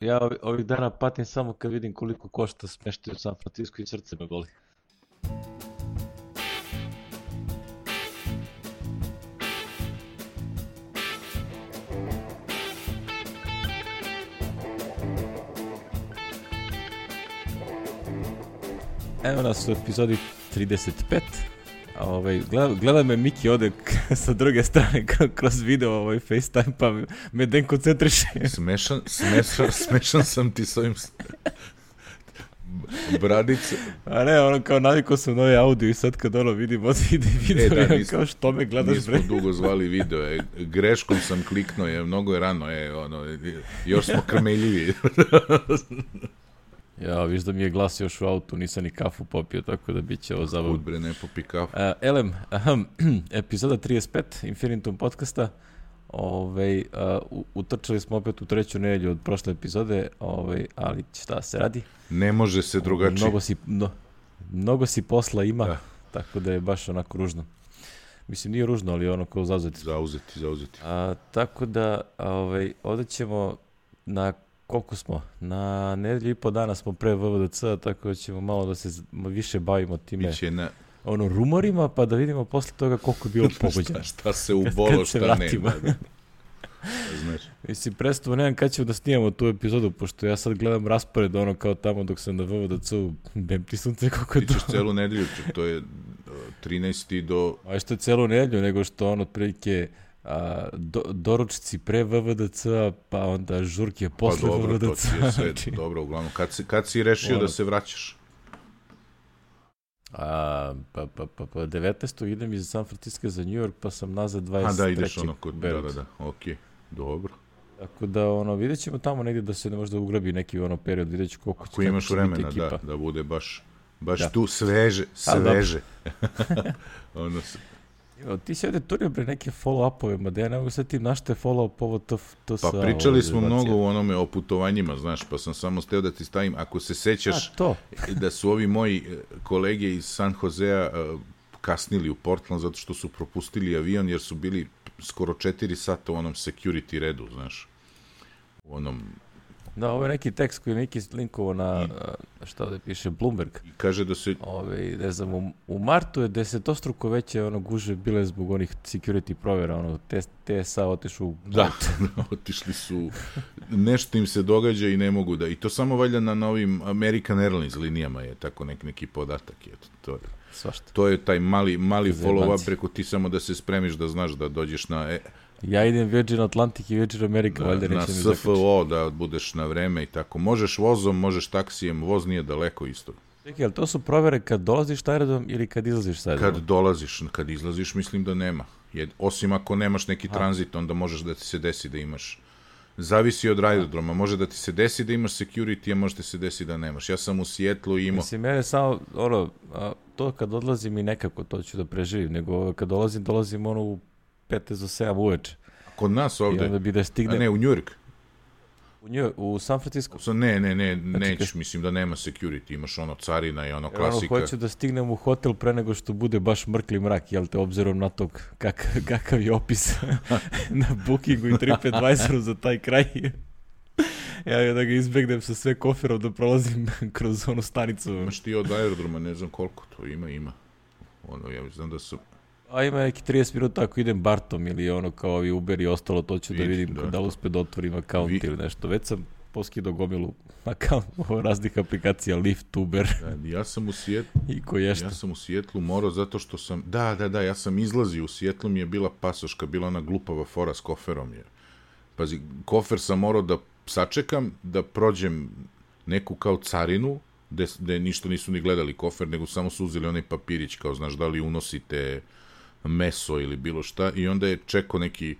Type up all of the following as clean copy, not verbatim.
Ja ovih dana patim samo kad vidim koliko košta smeštaj u San Francisco i srce me boli. Evo nas u epizodi 35. Gleda me Miki ode sa druge strane kroz video FaceTime pa me den koncentriše. Smešan sam ti s ovim bradice. A ne, ono kao navikao sam na ovaj audio i sad kad vidim video, kao što me gledaš bre. Nismo dugo zvali video, greškom sam kliknuo, mnogo je rano, još smo krmeljivi. Ja, viš da mi je glas još u autu, nisam ni kafu popio, tako da bit će ovo zabavno. Kud bre, ne popi kafu. Epizoda 35 Infinitum podcasta. Utrčali smo opet u treću nedelju od prošle epizode, ali šta se radi? Ne može se drugačije. Mnogo si posla ima, da. Tako da je baš onako ružno. Mislim, nije ružno, ali ono kao zauzeti. Zauzeti. Tako da, ovdje ćemo na koliko smo? Na nedelju i po dana smo pre VVDC, tako da ćemo malo da se više bavimo time rumorima, pa da vidimo posle toga koliko je bilo pogođeno. šta se ubolo, šta nema. Znaš. Mislim, predstavu nemam kad ćemo da snijemo tu epizodu, pošto ja sad gledam raspored kao tamo dok sam na VVDC-u, bem ti sunce koliko je to. Ti ćeš celu nedelju, to je 13. do... A što je celu nedelju, nego što otprilike... doručci pre VVDC, pa onda žurke posle VVDC. To ti je sve dobro, uglavnom. Kad si rešio da se vraćaš? 19. idem iz San Francisco za New York, pa sam nazad 23. Da, ideš kod Beirut. Da, okej, dobro. Tako da, vidjet ćemo tamo negdje da se ne možda ugrabi neki period, vidjet ću koliko će biti ekipa. Ako imaš vremena, da bude baš tu sveže. Ti si ovdje turio bre neke follow-upove, ma da ja ne mogu sad tim našta je follow-up ovo to sa... Pa pričali smo mnogo o putovanjima, znaš, pa sam samo steo da ti stavim, ako se sećaš da su ovi moji kolege iz San Josea kasnili u Portland zato što su propustili avion jer su bili skoro 4 sata u onom security redu, znaš, u onom... Da, ovo je neki tekst koji je neki linkovo na, šta ovdje piše, Bloomberg. I kaže da se... ne znam, u martu je desetostruko veće guže bile zbog onih security provjera, TSA otišu u... Da, otišli su, nešto im se događa i ne mogu da... I to samo valjda na ovim American Airlines linijama je tako neki podatak. To je taj mali follow-up preko ti samo da se spremiš da znaš da dođeš na... Ja idem Virgin Atlantic i Virgin America, valjda na SFO da budeš na vreme i tako. Možeš vozom, možeš taksijem, voz nije daleko isto. Čekaj, ali to su provere kad dolaziš na aerodrom ili kad izlaziš sa aerodrom? Kad dolaziš, kad izlaziš mislim da nema. Osim ako nemaš neki tranzit, onda možeš da ti se desi da imaš. Zavisi od aerodroma, može da ti se desi da imaš security, a može da se desi da nemaš. Ja sam u Sijetlu imao... Mislim, mene samo, to kad odlazim i nekako to ću da preživim, nego kad dolazim u 5 do 7 uveče. Kod nas ovde? I onda bi da stignem... A ne, u New York? U San Francisco? Nećeš, mislim da nema security, imaš carina i klasika. Hoću da stignem u hotel pre nego što bude baš mrkli mrak, jel te, obzirom na to kakav je opis na Bookingu i TripAdvisoru za taj kraj. Ja da ga izbegnem sa sve koferom da prolazim kroz onu stanicu. Imaš ti od aerodroma, ne znam koliko to ima. Ja znam da su... A ima neki 30 minuta ako idem Bartom ili kao ovi Uber i ostalo, to ću da vidim da li uspe da otvorim account ili nešto. Već sam poskidao gomilu account raznih aplikacija, Lyft, Uber. Ja sam u Sijetlu morao zato što sam... Da, ja sam izlazio u Sijetlu, mi je bila pasoška, bila ona glupava fora s koferom. Pazi, kofer sam morao da sačekam, da prođem neku kao carinu, gde ništa nisu ni gledali kofer, nego samo su uzeli onaj papirić, kao znaš da li unosite meso ili bilo šta, i onda je neki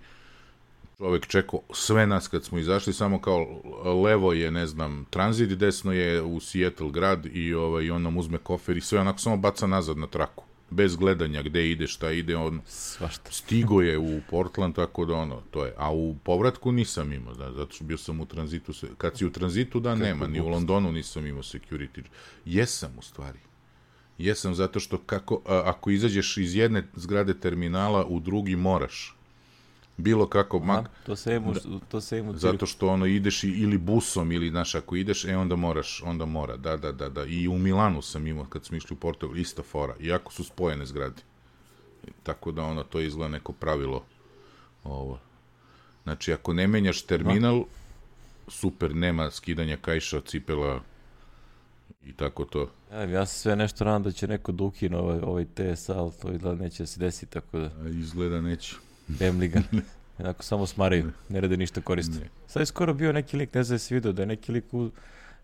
čovek čekao sve nas kad smo izašli, samo kao levo je, ne znam, tranzit, desno je u Seattle grad i on nam uzme kofer i sve onako samo baca nazad na traku, bez gledanja gde ide, šta ide, stigo je u Portland, tako da to je, a u povratku nisam imao, zato što bio sam u tranzitu, kad si u tranzitu nema, ni u Londonu nisam imao security, jesam u stvari. Jesam, zato što ako izađeš iz jedne zgrade terminala u drugi moraš. bilo kako, to se ima zato što ono ideš ili busom ili, znaš, ako ideš, onda mora, da. I u Milanu sam imao, kad smo išli u Portugal, ista fora, iako su spojene zgrade. Tako da ono, to izgleda neko pravilo ovo. Znači, ako ne menjaš terminal, super, nema skidanja kaiša, cipela i tako to. Ja se sve nešto nadam da će neko da ukine ovaj TSA, ali to izgleda neće da se desi, tako da... Izgleda neće. Bemliga. Jednako samo smaraju, ne rade ništa koriste. Sad je skoro bio neki lik, ne znam da si vidio, da je neki lik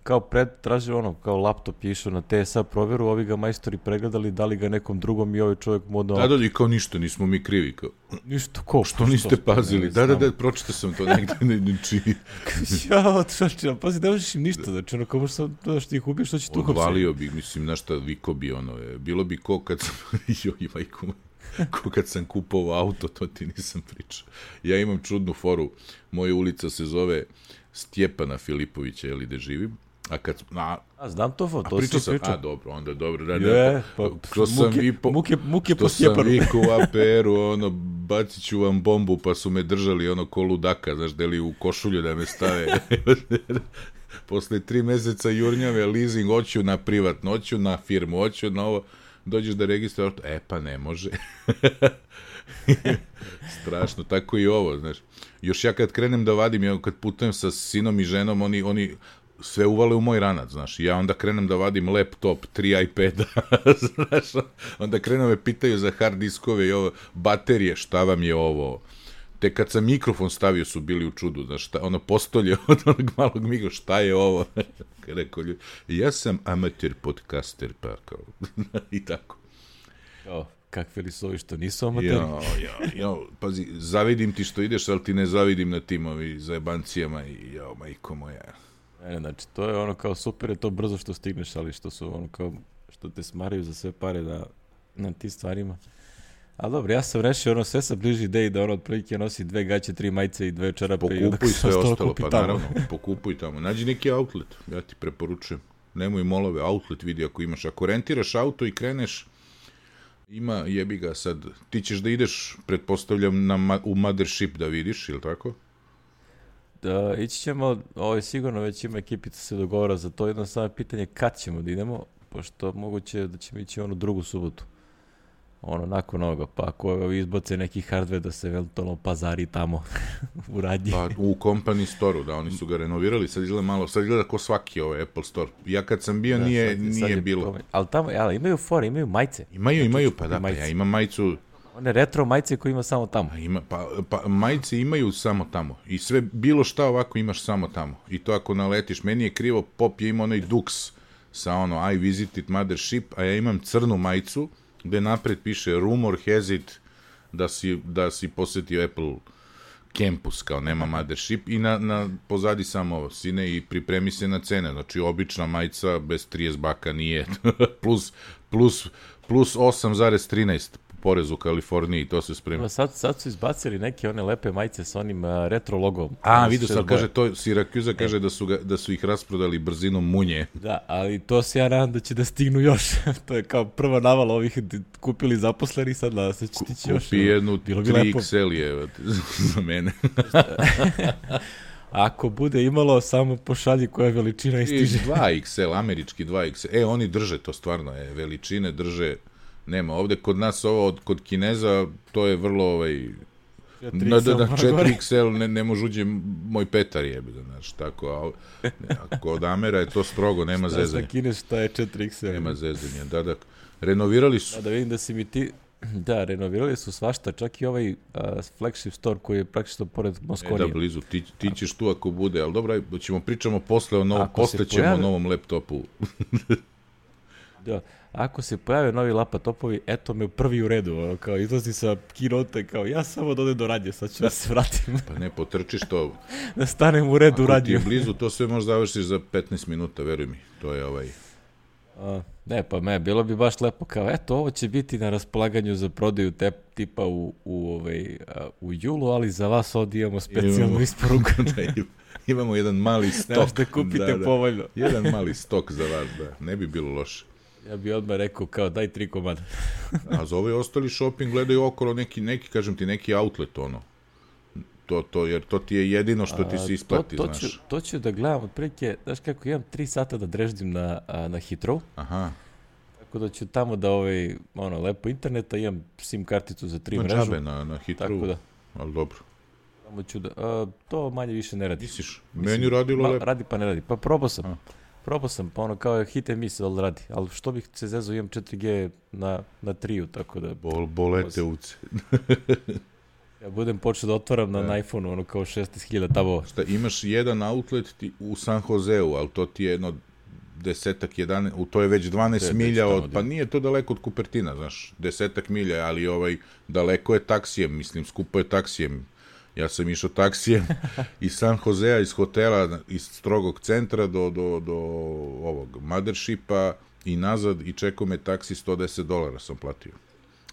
kao tražio ono, kao laptop je išao na TSA provjeru, ovi ga majstori pregledali, dali ga nekom drugom i ovaj čovjek mu odao... Da, i kao ništa, nismo mi krivi, kao... Ništa, ko? Što niste pazili? Da, pročitao sam to negdje, pazi, ne možeš im ništa, znači ono, kao možeš sam, da što ih ubiješ, što će tu hapsiti. Odvalio bi, mislim, našta viko bi, ono, bilo bi ko kad sam... Ko kad sam kupovao auto, to ti nisam pričao. Ja imam čudnu foru, moja ulica se zove Stjepana Filipovića, jel, gde živim. Znam to, to si pričao. Dobro, onda dobro. Muke po Stjepanu. Što sam vikao u APR-u, ono, bacit ću vam bombu, pa su me držali, ono, ko ludaka, znaš, deli u košulju da me stave. Posle 3 meseca jurnjave, leasing, hoću na privatno, hoću na firmu, hoću na ovo, dođeš da registruješ auto, pa ne može. Strašno, tako i ovo, znaš. Još ja kad krenem da vadim, ja kad putujem sa sinom i ženom, oni sve uvale u moj ranac, znaš, ja onda krenem da vadim laptop, 3 iPada, znaš, onda krenem me pitaju za hard diskove i ovo, baterije, šta vam je ovo, te kad sam mikrofon stavio su bili u čudu, znaš, ono postolje od onog malog mikrofona, šta je ovo, rekao ljudi, ja sam amateur podcaster, pa kao, i tako. Kakve li su ovi što nisu amateri? Pazi, zavidim ti što ideš, ali ti ne zavidim na tim zajebancijama i majko moja. Znači, to je ono kao super, je to brzo što stigneš, ali što su ono kao, što te smaraju za sve pare na tim stvarima. Ali dobro, ja sam rešio, ono, sve sam bliži ideji da ono otprilike nosi 2 gaće, 3 majice i 2 čarape. Pokupuj sve ostalo, pa naravno, pokupuj tamo. Nađi neki outlet, ja ti preporučujem. Nemoj molove, outlet vidi ako imaš. Ako rentiraš auto i kreneš, ima, jebi ga sad, ti ćeš da ideš, pretpostavljam, u Mothership da vidiš, ili tako? Da, ići ćemo, sigurno već ima ekipica se dogovora za to, jedno samo pitanje kad ćemo da idemo, pošto moguće da ćemo ići drugu subotu, nakon ovoga, pa ako izbace neki hardware da se eventualno pazari tamo u radnji. Pa u company store-u, da, oni su ga renovirali, sad izgleda ko svaki Apple store. Ja kad sam bio nije bilo. Ali tamo, imaju fore, imaju majice. Imaju, pa da, pa ja imam majicu. One retro majice koje ima samo tamo. Pa majice imaju samo tamo. I sve, bilo šta ovako imaš samo tamo. I to ako naletiš. Meni je krivo, Pop je imao onaj Dux sa I visited Mothership, a ja imam crnu majicu gde napred piše rumor has it da si posetio Apple campus, kao nema Mothership, i na pozadi samo ovo, sine, i pripremi se na cene. Znači, obična majica bez 30 baka nije. plus 8,13 porez u Kaliforniji, to se spremi. Sad su izbacili neke one lepe majice sa onim retro logom. Vidio sam, kaže, to Sirakuza kaže da su ih rasprodali brzinom munje. Da, ali to se ja nadam da će da stignu još. To je kao prva navala ovih kupili zaposleni, sad da se će tići još. Kupi jednu 3XL je za mene. Ako bude imalo, samo pošalji koja veličina istiže. 2XL, američki 2XL. Oni drže to stvarno, veličine drže. Nema, ovde kod nas kod Kineza, to je vrlo 4XL ne može uđe moj Petar jebe, znaš, tako, a kod Amera je to strogo, nema zezanja. Šta Kinez, šta je 4XL? Nema zezanja, da, renovirali su. Da vidim da si mi ti, da, renovirali su svašta, čak i ovaj flagship store koji je praktično pored Moskonije. Da, blizu, ti ćeš tu ako bude, ali dobro, pričamo posle ćemo o novom laptopu. Da, ako se pojave novi laptopovi, eto me prvi u redu, kao izlazi sa keynote, kao ja samo da odem do radnje, sad ću da se vratim. Pa ne, potrčiš to. Da stanem u redu u radnju. Ako ti je blizu, to sve možeš završiš za 15 minuta, veruj mi, to je Ne, pa bilo bi baš lepo, kao eto, ovo će biti na raspolaganju za prodaju tipa u julu, ali za vas ovdje imamo specijalnu isporuku. Imamo jedan mali stok. Znaš da kupite povoljno. Jedan mali stok za vas, da, ne bi bilo loše. Ja bi odmah rekao, kao daj 3 komada. A za ovaj ostali shopping gledaju okolo neki, kažem ti, neki outlet, jer to ti je jedino što ti se isplati, znaš. To ću da gledam, otprilike, znaš kako, imam 3 sata da dreždim na Heathrow. Aha. Tako da ću tamo da lepo interneta, imam SIM karticu za 3 mrežu. Džabe na Heathrow, tako da, ali dobro. Tamo ću da, to manje više ne radi. Misliš, meni radilo lepo. Radi pa ne radi, pa probao sam. Probao sam, pa kao hit and miss, ali radi. Ali što bih se zezao, imam 4G na 3, tako da... Bolete uce. Ja budem počeo da otvaram na iPhone-u, kao 16.000 tabova. Šta, imaš jedan outlet u San Joseu, ali to ti je jedno 10-11, to je već 12 milja od... Pa nije to daleko od Kupertina, znaš, 10 milja, ali daleko je taksijem, mislim, skupo je taksijem. Ja sam išao taksijem iz San Josea, iz hotela, iz strogog centra do ovog Mothershipa i nazad i čekao me taksi $110 sam platio.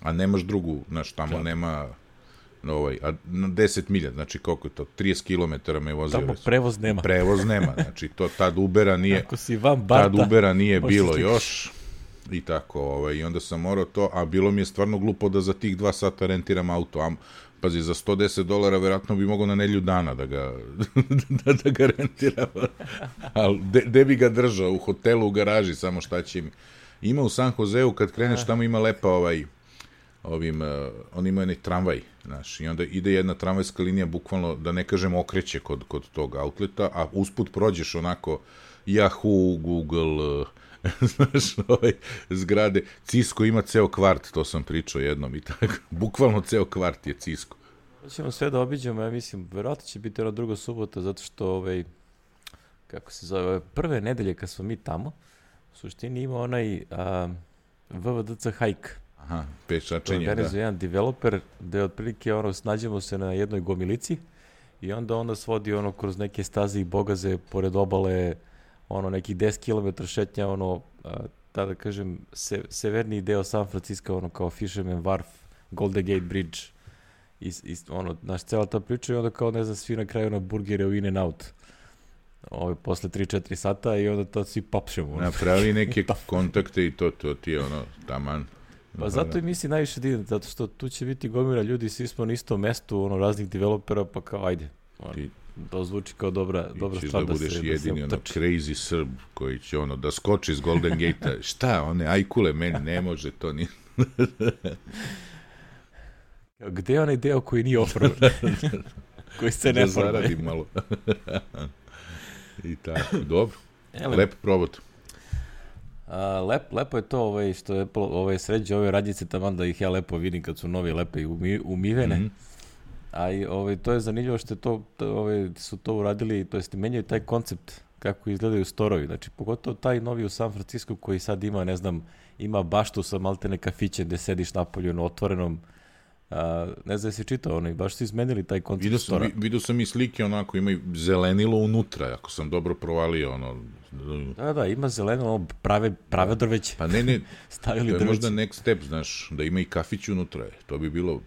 A nemaš drugu, znaš, tamo nema... a 10 milja, znači koliko je to, 30 km me vozio. Tamo prevoz nema. Prevoz nema, znači tad Ubera nije, ako si van Barta, tad Ubera nije bilo još i tako, i onda sam morao to, a bilo mi je stvarno glupo da za tih 2 sata rentiram auto, pazi, za $110 verovatno bi mogao na nedelju dana da ga rentiram, ali gde bi ga držao, u hotelu, u garaži, samo šta će mi. Ima u San Joseu, kad kreneš, tamo ima lepa on ima onaj tramvaj, znaš, i onda ide jedna tramvajska linija, bukvalno, da ne kažem, okreće kod tog outleta, a usput prođeš onako Yahoo, Google, znaš, zgrade. Cisco ima ceo kvart, to sam pričao jednom i tako, bukvalno ceo kvart je Cisco. Hoćemo sve da obiđemo, ja mislim, verovatno će biti druga subota, zato što kako se zove, prve nedelje kad smo mi tamo, u suštini ima onaj VVDC hike. Aha, pešačenje, da. Organizuje jedan developer, gde otprilike snađemo se na jednoj gomilici i onda svodi kroz neke staze i bogaze, pored obale, nekih 10 km šetnja, da kažem, severniji deo San Francisco, kao Fisherman Wharf, Golden Gate Bridge, naš cela ta priča i onda kao, ne znam, svi na kraju burgere u In-N-Out. Posle 3-4 sata i onda to svi papšemo. Napravi neke kontakte i to ti je taman. Pa zato i misli najviše divno, zato što tu će biti gomila ljudi, svi smo na istom mestu, raznih developera, pa kao ajde. To zvuči kao dobra stvar da budeš jedini crazy Srb koji će da skoči iz Golden Gate-a. Šta, one ajkule, meni ne može to ni... Gde je onaj deo koji nije oformen? Koji se ne forme? Da zaradim malo. I tako, dobro. Lepo probot. Lepo je to što je sređe ove radnjice taman da ih ja lepo vidim kad su novi lepe i umivene. A to je zanimljivo što su to uradili, to jest menjaju taj koncept kako izgledaju storovi. Znači, pogotovo taj novi u San Francisco koji sad ima, ne znam, ima baštu sa maltene kafiće gde sediš napolju na otvorenom. Ne znam jesi čitao, baš su izmenili taj koncept stora. Vidio sam i slike, ima zelenilo unutra, ako sam dobro provalio. Da, ima zelenilo, prave drveće. Pa ne, stavili to je drveće. Možda next step, znaš, da ima i kafić unutra, to bi bilo,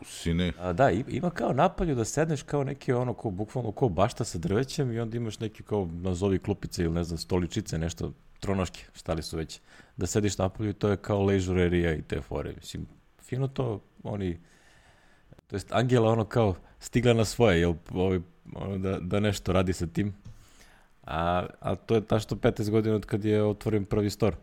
sine... Da, ima kao napolju da sedneš kao neki bukvalno kao bašta sa drvećem i onda imaš neki kao nazovi klupice ili ne znam, stoličice, nešto, tronoške, šta li su već, da sediš napolju i to je kao leisure area i te fore, mislim, fino to, to jest Angela kao stigla na svoje, da nešto radi sa tim, a to je tašto 15 godina od kad je otvoren prvi store.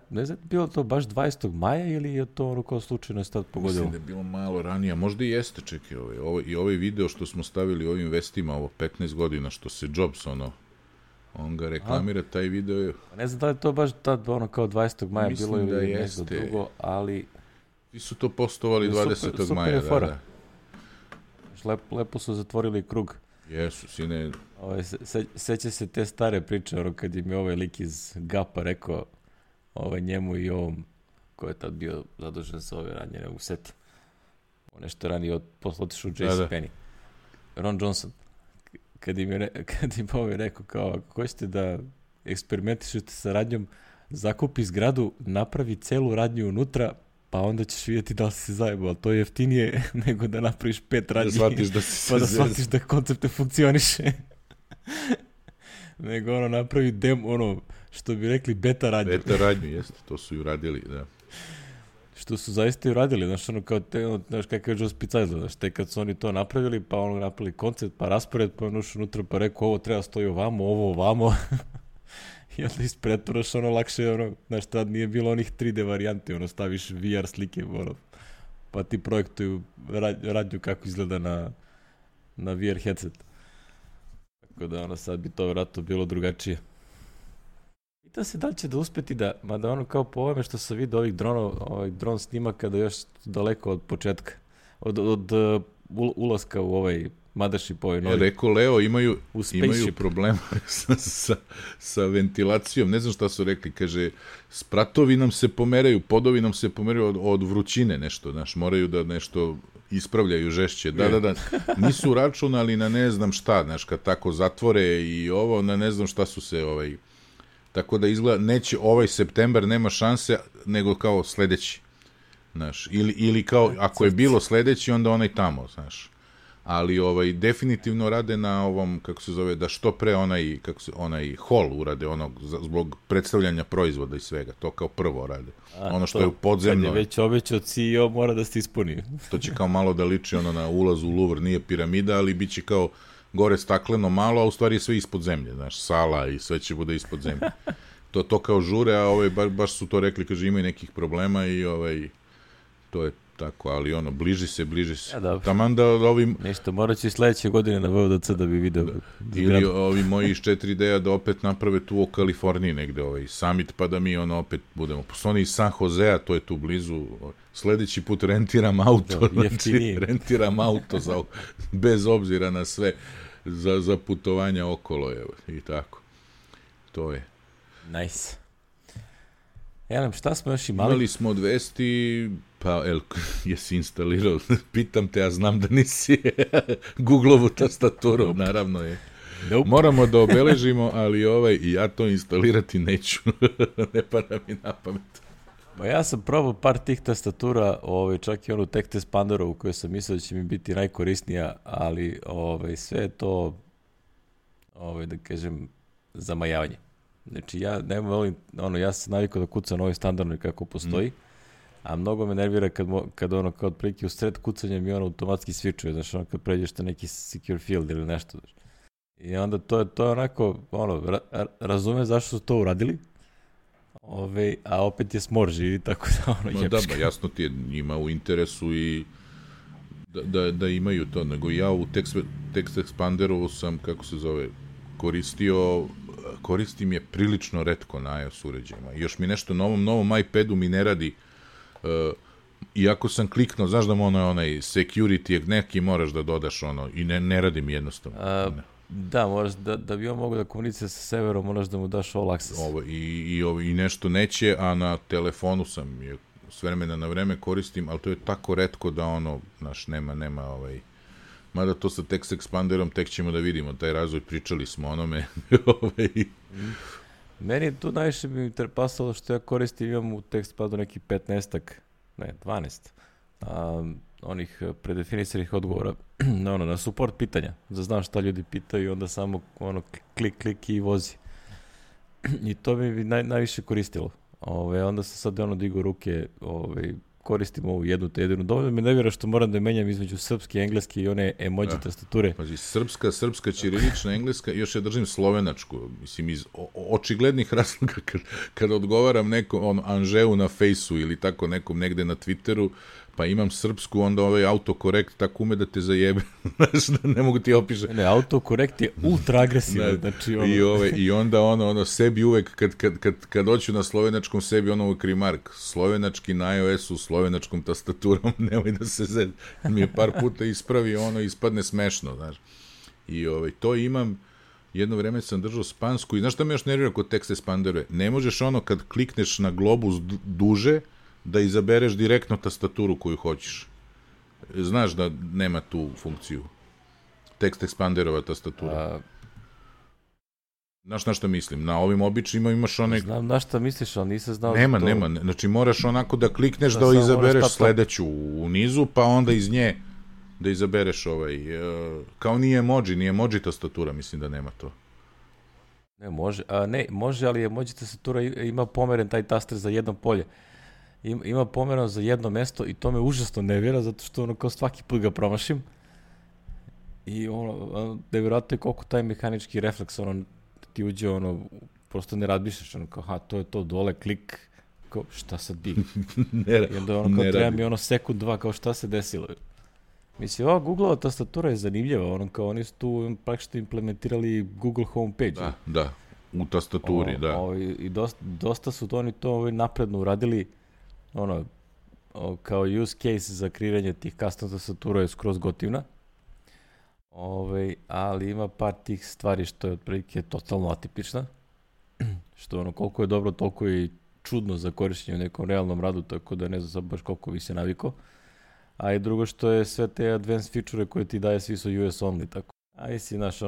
Ne znam, bilo to baš 20. maja ili je to kao slučajno sad pogodilo? Mislim da je bilo malo ranije, možda i jeste, čekaj, i ovaj video što smo stavili u ovim vestima, 15 godina, što se Jobs, on ga reklamira, taj video je... Ne znam da li to baš tad kao 20. maja bilo ili nešto drugo, ali... Ti su to postovali 20. maja, da. Lepo su zatvorili krug. Jesu, sine... Seća se te stare priče, kad im je ovaj lik iz Gapa rekao njemu i ovom, ko je tad bio zadužen sa ove ranjene u set. Nešto ranije otišao u JCPenney. Ron Johnson. Kad im ovaj rekao kao, ako hoćete da eksperimentišete sa radnjom, zakupi zgradu, napravi celu radnju unutra, pa onda ćeš vidjeti da li si zajebao, ali to je jeftinije nego da napraviš 5 radnji, pa da shvatiš da koncept ne funkcioniše. Nego napravi što bi rekli beta radnju. Beta radnju, jeste, to su i uradili, da. što su zaista i uradili, znaš, ono kao te, znaš kakav je Joe Spicajzla, znaš, te kad su oni to napravili, pa ono napravili koncept, pa raspored, pa ono ušao unutra, pa rekao ovo treba stoji ovamo, ovo ovamo, i onda ispretvaraš ono lakše, ono, znaš, tad nije bilo onih 3D varijanti, ono, staviš VR slike, ono, pa ti projektuju radnju kako izgleda na VR headset. Tako da, ono, sad bi to vjerojatno bilo drugačije. Pitam se da li će da uspeti da, mada ono kao po ovome što sam vidio ovih dron snimaka da još daleko od početka, od ulaska u ovaj Mothership, ovaj novi. Rekao Leo, imaju problema sa ventilacijom, ne znam šta su rekli, kaže, spratovi nam se pomeraju, podovi nam se pomeraju od vrućine nešto, znaš, moraju da nešto ispravljaju žešće, da, nisu računali na ne znam šta, znaš, kad tako zatvore i ovo, na ne znam šta su se, tako da izgleda, neće ovaj septembar, nema šanse, nego kao sledeći, znaš, ili kao, ako je bilo sledeći, onda onaj tamo, znaš. Ali definitivno rade na ovom, kako se zove, da što pre onaj hol urade, zbog predstavljanja proizvoda i svega, to kao prvo rade. Ono što je u podzemno. Kad je već obećao CEO, mora da se ispuni. To će kao malo da liči na ulazu u Louvre, nije piramida, ali bit će kao gore stakleno malo, a u stvari je sve ispod zemlje, znaš, sala i sve će bude ispod zemlje. To kao žure, a baš su to rekli, kaže, imaju nekih problema i to je tako, ali bliži se. Ja, taman da ovim... Ništa, morat će i sledeće godine na VODC da bi video. Ili ovi moji iz 4D-a da opet naprave tu u Kaliforniji negde summit, pa da mi opet budemo. Pošto oni iz San Josea, to je tu blizu, sledeći put rentiram auto, rentiram auto bez obzira na sve za putovanja okolo, i tako. To je. Nice. Šta smo još imali? Imali smo od vesti, pa jesi instalirao, pitam te, ja znam da nisi Google-ovu tastaturu, naravno je. Nope. Moramo da obeležimo, ali i ja to instalirati neću, ne pada mi na pamet. Pa ja sam probao par tih tastatura, čak i onu Text Expanderovu koju sam mislio da će mi biti najkorisnija, ali sve je to, da kažem, zamajavanje. Znači, ja ne volim, ja sam navikao da kucam na ovoj standardnoj kako postoji, a mnogo me nervira kad kao otprilike u sred kucanja mi automatski svičuje, znači kad pređeš na neki secure field ili nešto. I onda to je onako, razumem zašto su to uradili, a opet je smorži i tako da jebška. Da, jasno ti je njima u interesu i da imaju to, nego ja u Text Expanderovu sam, kako se zove, koristim je prilično retko na iOS uređajima. I još mi nešto novom iPadu mi ne radi, iako sam kliknuo, znaš da mu onaj security, neki moraš da dodaš i ne radi mi jednostavno. Da, moraš da bi on mogo da komunicira sa serverom, moraš da mu daš all access. I nešto neće, a na telefonu sam je s vremena na vreme koristim, ali to je tako retko da znaš, nema mada to sa Text Expanderom tek ćemo da vidimo, taj razvoj, pričali smo onome. Meni tu najviše bi mi pasalo što ja koristim, imam u Text Expanderu neki 12 onih predefinisanih odgovora na support pitanja, da znam šta ljudi pitaju i onda samo klik i vozi. I to bi najviše koristilo. Onda sam sad digao ruke, koristim ovu jednu te jedinu. Dovoljno mi ne vjera što moram da menjam između srpske, engleske i one emoji tastature. Pazi, srpska, ćirilična, engleska, još ja držim slovenačku. Mislim, iz očiglednih razloga kada odgovaram nekom Anžeu na Fejsu ili tako nekom negde na Twitteru, pa imam srpsku, onda autokorekt tako ume da te zajebe. Znaš, da ne mogu ti opišati. Ne, autokorekt je ultra agresivan. Znači, I onda sebi uvek, kad hoću na slovenačkom, sebi uvek remark. Slovenački na iOS-u, slovenačkom tastaturom, nemoj da se zed. Mi je par puta ispravi, ispadne smešno, znaš. I to imam, jedno vreme sam držao spansku i znaš šta me još nervira kod Text Expanderove? Ne možeš kad klikneš na globus duže, da izabereš direktno tastaturu koju hoćeš. Znaš da nema tu funkciju. Text Expanderova tastatura. Znaš na šta mislim? Na ovim običnima imaš Znam na šta misliš, ali nisam znao... Nema. Znači moraš onako da klikneš da izabereš sledeću u nizu, pa onda iz nje da izabereš kao nije emoji tastatura, mislim da nema to. Ne, može, ali emoji tastatura ima pomeren taj taster za jedno polje. ima pomerano za jedno mesto i to me užasno nervira, zato što ono kao svaki put ga promašim. I ono, nevjerojatno je koliko taj mehanički refleks, ono, ti uđe, ono, prosto ne razmišljaš, ono, kao, to je to, dole, klik, kao, šta sad bi? I onda ono, kao, treba mi ono sekund, dva, kao, šta se desilo? Mislim, ova Google-ova tastatura je zanimljiva, ono, kao, oni su tu praktično implementirali Google homepage. Da, u tastaturi, da. I dosta su oni to napredno uradili, ono, kao use case za kreiranje tih custom tastatura je skroz gotivna. Ali ima par tih stvari što je otprilike totalno atipična, što ono koliko je dobro, toliko je čudno za korištenje u nekom realnom radu, tako da ne znam sad baš koliko bi se navikao. A i drugo što je sve te advanced feature koje ti daje, svi su US only, tako. A i si, znaš,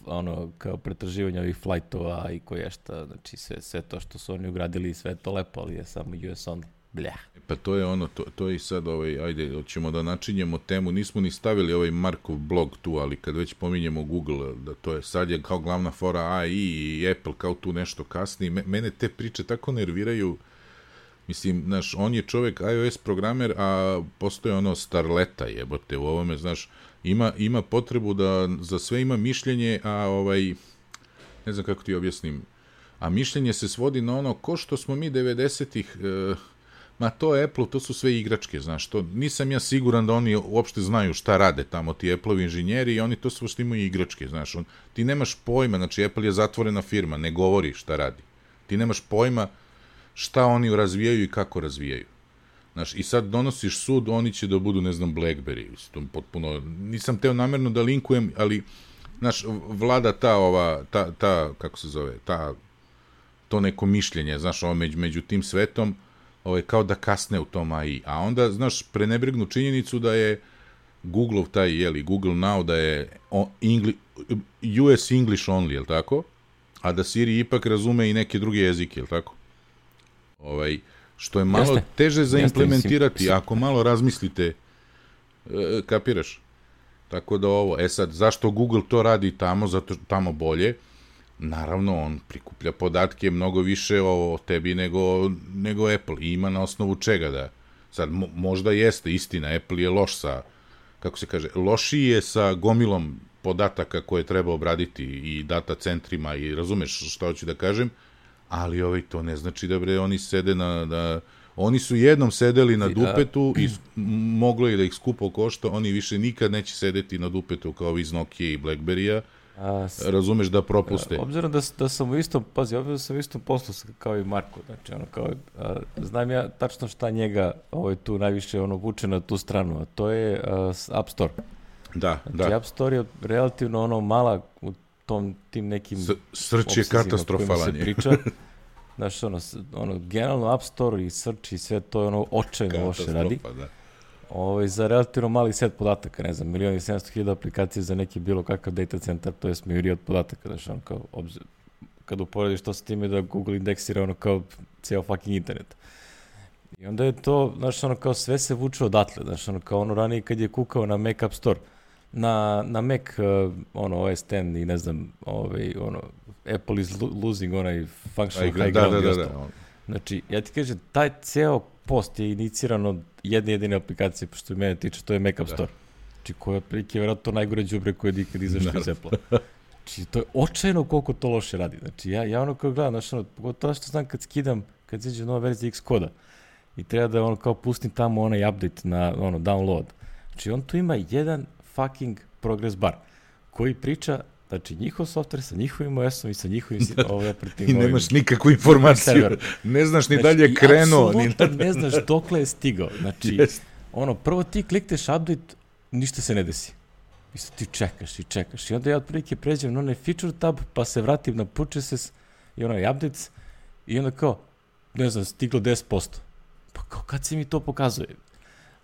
ono, kao pretraživanje ovih flightova i koješta, znači sve to što su oni ugradili, sve to lepo, ali je samo US only. Bljah. Pa to je ono, to je i sad, ajde, hoćemo da načinjemo temu, nismo ni stavili ovaj Markov blog tu, ali kad već pominjemo Google, da to je sad je kao glavna fora AI i Apple kao tu nešto kasni, mene te priče tako nerviraju, mislim, znaš, on je čovek iOS programer, a postoje ono starleta jebote u ovome, znaš, ima potrebu da za sve ima mišljenje, a ne znam kako ti objasnim, a mišljenje se svodi na ono ko što smo mi 90-ih, ma to je Apple, to su sve igračke, znaš, to nisam ja siguran da oni uopšte znaju šta rade tamo, ti Apple-ovi inženjeri i oni to sve što imaju igračke, znaš, ti nemaš pojma, znači Apple je zatvorena firma, ne govori šta radi, ti nemaš pojma šta oni razvijaju i kako razvijaju, znaš, i sad donosiš sud, oni će da budu, ne znam, BlackBerry, potpuno, nisam teo namerno da linkujem, ali, znaš, vlada ta kako se zove, to neko mišljenje, znaš, među tim svetom, kao da kasne u tom AI. A onda, znaš, prenebregnu činjenicu da je Google-ov Google Now, da je US English only, jel tako? A da Siri ipak razume i neke druge jezike, jel tako? Što je malo teže za implementirati, ako malo razmislite, kapiraš? Tako da sad, zašto Google to radi tamo, zato tamo bolje? Naravno, on prikuplja podatke mnogo više o tebi nego Apple. I ima na osnovu čega da... Sad, možda jeste istina, Apple je loš sa, kako se kaže, lošiji je sa gomilom podataka koje treba obraditi i data centrima i razumeš šta hoću da kažem, ali to ne znači da oni sede oni su jednom sedeli na dupetu i moglo je da ih skupo košta, oni više nikad neće sedeti na dupetu kao iz Nokia i Blackberry-a, razumeš, da propuste. Obzirom da sam u istom, obzirom da sam u istom poslu kao i Marko, znači znam ja tačno šta njega tu najviše vuče na tu stranu, a to je App Store. Da. App Store je relativno mala u tim nekim search je katastrofalan je. Znaš, generalno App Store i search i sve to je očajno loše radi. Za relativno mali set podataka, ne znam, 1.700.000 aplikacije za neki bilo kakav data centar, to je smiri od podataka, znaš, kad uporediš to sa time da Google indeksira kao ceo fucking internet. I onda je to, znaš, kao sve se vuče odatle, znaš, kao ranije kad je kukao na Mac App Store, na Mac, OS X i ne znam, Apple is losing onaj functional high ground i ostalo. Znači, ja ti kažem, taj ceo post je iniciran od jedne aplikacije, pošto mene tiče, to je Mac App Store. Znači, koja je prilike vjerojatno najgore đubre koje je nikad izašlo iz Apple-a. Znači, to je očajno koliko to loše radi. Znači, ja kao gledam, znači, pogotovo što znam kad skidam, kad izađe nova verzija Xcode-a i treba da kao pustim tamo onaj update na download. Znači, on tu ima jedan fucking progress bar koji priča, znači, njihov software sa njihovim OS-om i sa njihovim operativnim... I nemaš nikakvu informaciju. Ne znaš ni dalje krenuo. Apsolutno ne znaš dokle je stigao. Znači, prvo ti klikneš update, ništa se ne desi. I sad ti čekaš. I onda ja otprilike pređem na onaj feature tab, pa se vratim na purchases i onaj updates i onda kao, ne znam, stiglo 10%. Pa kao, kad se mi to pokazuje?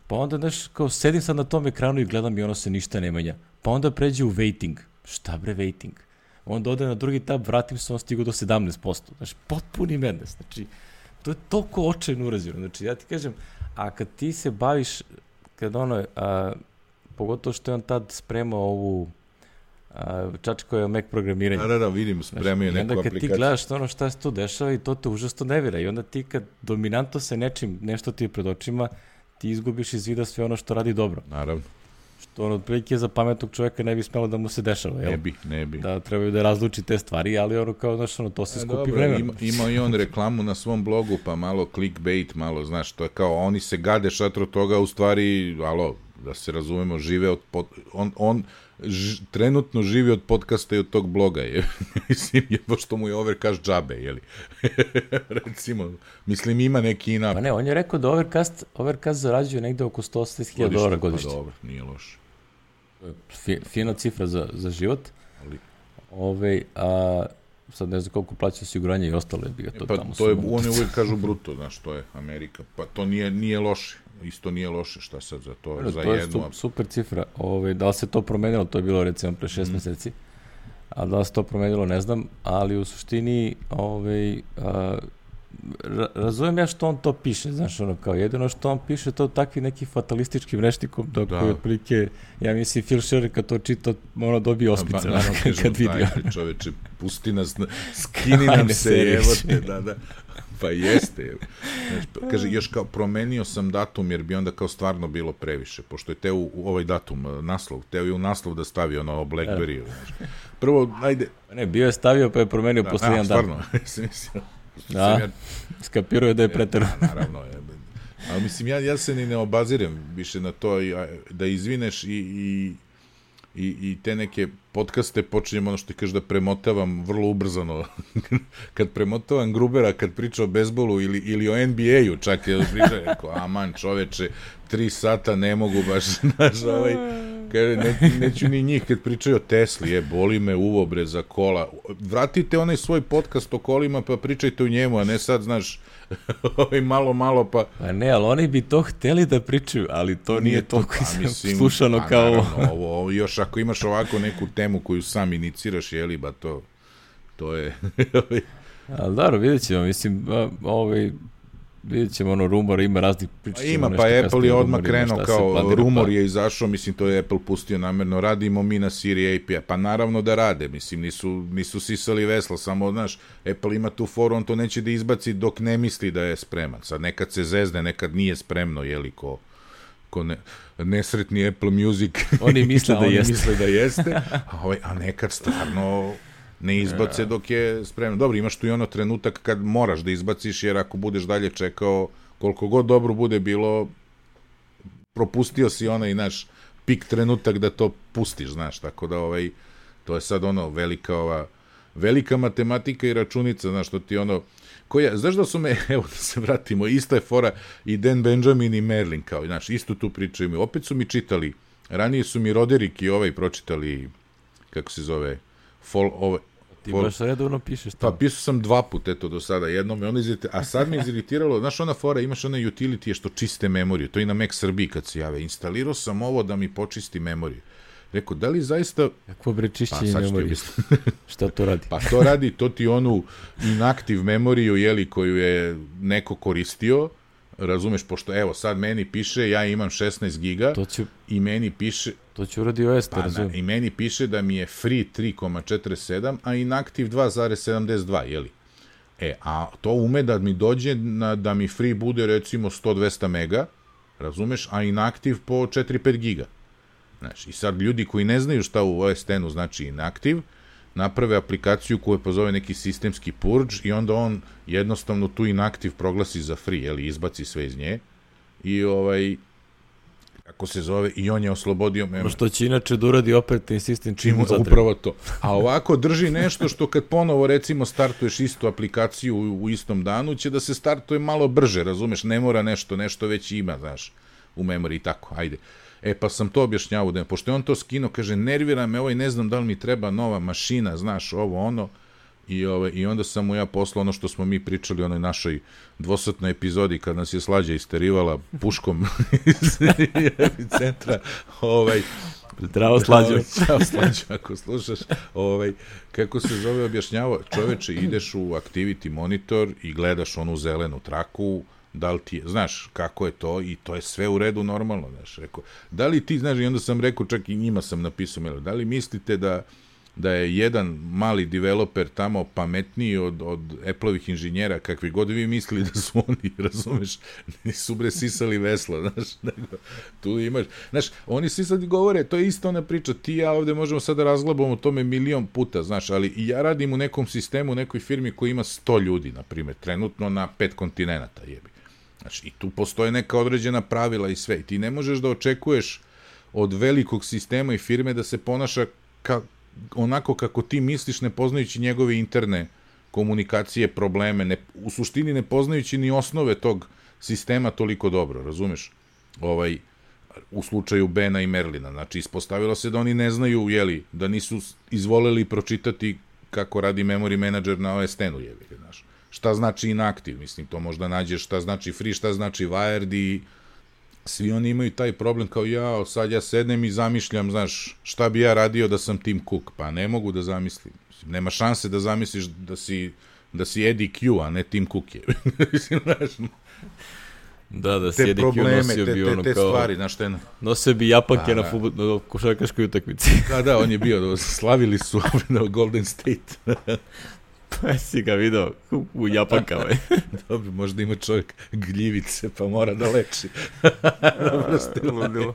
Pa onda, znaš, kao, sedim sad na tom ekranu i gledam i se ništa ne menja. Pa onda pređe u waiting. Šta bre waiting? Onda ode na drugi tab, vratim se, on stigu do 17%. Znači, potpuni madness. Znači, to je toliko očajno urađeno. Znači, ja ti kažem, a kad ti se baviš, kad pogotovo što je on tad spremao ovu čačko je Mac programiranje. Da, vidim, spremio neku aplikaciju. I onda kad ti gledaš ono šta se tu dešava i to te užasno nevira. I onda ti kad dominantno se nečim, nešto ti je pred očima, ti izgubiš iz vida sve ono što radi dobro. Naravno. Što ono otprilike za pametnog čovjeka ne bi smelo da mu se dešava. Jel? Ne bi. Da trebaju da razluči te stvari, ali ono kao, znaš, ono, to se skupi vremena. Ima i on reklamu na svom blogu, pa malo clickbait, malo, znaš, to je kao, oni se gade šatro toga, u stvari, da se razumemo, žive od trenutno živi od podcasta i od tog bloga, mislim, pošto mu je Overcast džabe, jeli? Recimo, mislim, ima neki inap. Pa ne, on je rekao da Overcast zarađuje negde oko $180,000 godišnje. Pa dobro, nije loše. Fina cifra za život. Sad ne znam koliko plaća osiguranje i ostalo je bi ga to tamo. To je, oni uvijek kažu bruto, znaš, to je Amerika. Pa to nije loše. Isto nije loše, šta sad za to, za jednu... To je super cifra. Da li se to promenilo, to je bilo recimo pre 6 meseci, a da li se to promenilo, ne znam, ali u suštini razumem ja što on to piše, znaš, ono kao jedino što on piše to takvi neki fatalističkim rečnikom, dok je otprilike, ja mislim, Phil Schiller kad to čita, ono dobije ospice, kad vidi. Daj, čoveče, pusti nas, skini nam se, evo te, da. Pa jeste. Kaže, još kao promenio sam datum, jer bi onda kao stvarno bilo previše, pošto je teo u ovaj datum, naslov, teo je u naslov da stavi ono Blackberry. Prvo, ajde... Ne, bio je stavio, pa je promenio posle jedan dan. Stvarno, mislim. Skapirao je da je preterano. Naravno, ali mislim, ja se ni ne obazirem više na to, da izvineš i te neke podcaste počinjem ono što ti kažeš da premotavam vrlo ubrzano. Kad premotavam Grubera, kad priča o bejsbolu ili o NBA-u, čak je priča, rekao, aman čoveče, 3 sata ne mogu baš, znaš, neću ni njih kad pričaju o Tesli, boli me uvo bre za kola. Vratite onaj svoj podcast o kolima pa pričajte o njemu, a ne sad, znaš, malo pa... Pa ne, ali oni bi to hteli da pričaju, ali to nije toliko slušano kao... Naravno, ovo, još ako imaš ovako neku temu koju sam iniciraš, jeli, ba to je... Ali dobro, vidjet ćemo, mislim, vidjet ćemo, rumor, ima raznih priča. Ima, pa Apple je odmah krenuo kao, rumor je izašao, mislim, to je Apple pustio namerno, radimo mi na Siri API, pa naravno da rade, mislim, nisu sisali vesla, samo, znaš, Apple ima tu foru, on to neće da izbaci dok ne misli da je spreman, sad nekad se zezne, nekad nije spremno, jeli, ko nesretni Apple Music, oni misle da jeste, a nekad stvarno... ne izbace dok je spremno. Dobro, imaš tu i ono trenutak kad moraš da izbaciš, jer ako budeš dalje čekao, koliko god dobro bude bilo, propustio si onaj naš pik trenutak da to pustiš, znaš, tako da to je sad ono velika matematika i računica, znaš, što ti ono, znaš da su me, evo da se vratimo, ista je fora i Dan Benjamin i Merlin, kao, znaš, isto tu pričaju, opet su mi čitali, ranije su mi Roderick i pročitali, kako se zove, ti baš redovno pišeš to. Pa pisao sam 2 puta, eto do sada, jednom me ono a sad me iziritiralo, znaš ona fora, imaš one utility što čiste memoriju, to i na Mac Srbiji kad se jave, instalirao sam ovo da mi počisti memoriju. Rekao, da li zaista... Kako bre čišćenje memorije? Šta to radi? Pa to radi, to ti onu inactive memoriju, jeli, koju je neko koristio, razumeš, pošto evo sad meni piše, ja imam 16 giga i meni piše... To će uradi OS, te razumijem. I meni piše da mi je free 3,47, a inactive 2,72, jeli? A to ume da mi dođe da mi free bude recimo 100-200 mega, razumeš, a inactive po 4-5 giga. Znaš, i sad ljudi koji ne znaju šta u OS X-u znači inactive, naprave aplikaciju koju pozove neki sistemski purge i onda on jednostavno tu inactive proglasi za free, jeli, izbaci sve iz nje i kako se zove, i on je oslobodio memory. Što će inače da uradi operativni sistem čim mu zatreba. Upravo to. A ovako drži nešto što kad ponovo recimo startuješ istu aplikaciju u istom danu, će da se startuje malo brže, razumeš, ne mora nešto već ima, znaš, u memoriji i tako, ajde. Pa sam to objašnjavao, pošto je on to skinuo, kaže, nervira me ne znam da li mi treba nova mašina, znaš, ovo, ono, i onda sam mu ja poslao ono što smo mi pričali u onoj našoj dvosatnoj epizodi kad nas je Slađa isterivala puškom iz centra. Zdravo Slađo. Zdravo Slađo, ako slušaš. Kako se zove objašnjavao, čoveče, ideš u Activity Monitor i gledaš onu zelenu traku, da li ti, znaš, kako je to i to je sve u redu normalno, znaš, rekao, da li ti, znaš, i onda sam rekao, čak i njima sam napisao, da li mislite da je jedan mali developer tamo pametniji od Apple-ovih inženjera, kakvi god vi mislili da su oni, razumeš, nisu bre sisali vesla, znaš, nego, tu imaš, znaš, oni svi sad govore, to je isto ona priča, ti i ja ovde možemo sad da razglabamo o tome milion puta, znaš, ali i ja radim u nekom sistemu, u nekoj firmi koja ima 100 ljudi, na primjer, trenutno na 5 kontinenta, jebi. Znači, i tu postoje neka određena pravila i sve, i ti ne možeš da očekuješ od velikog sistema i firme da se ponaša onako kako ti misliš, ne poznajući njegove interne komunikacije, probleme, u suštini ne poznajući ni osnove tog sistema toliko dobro, razumeš? U slučaju Bena i Merlina, znači ispostavilo se da oni ne znaju, da nisu izvoleli pročitati kako radi memory manager na OS X-u, znaš. Šta znači inactive, mislim, to možda nađeš, šta znači free, šta znači wired i svi oni imaju taj problem kao sad ja sednem i zamišljam, znaš, šta bi ja radio da sam Tim Cook, pa ne mogu da zamislim. Nema šanse da zamisliš da si Eddie Q, a ne Tim Cook je. Mislim, znaš, da si Eddie Q nosio bi ono te kao... stvari, znaš, nosio bi japanke na košarkaškoj utakmici. Da, on je bio, slavili su na Golden State. Pa si ga video u japankama. Dobro, možda ima čovjek gljivice, pa mora da leči. Dobro ste ludilo.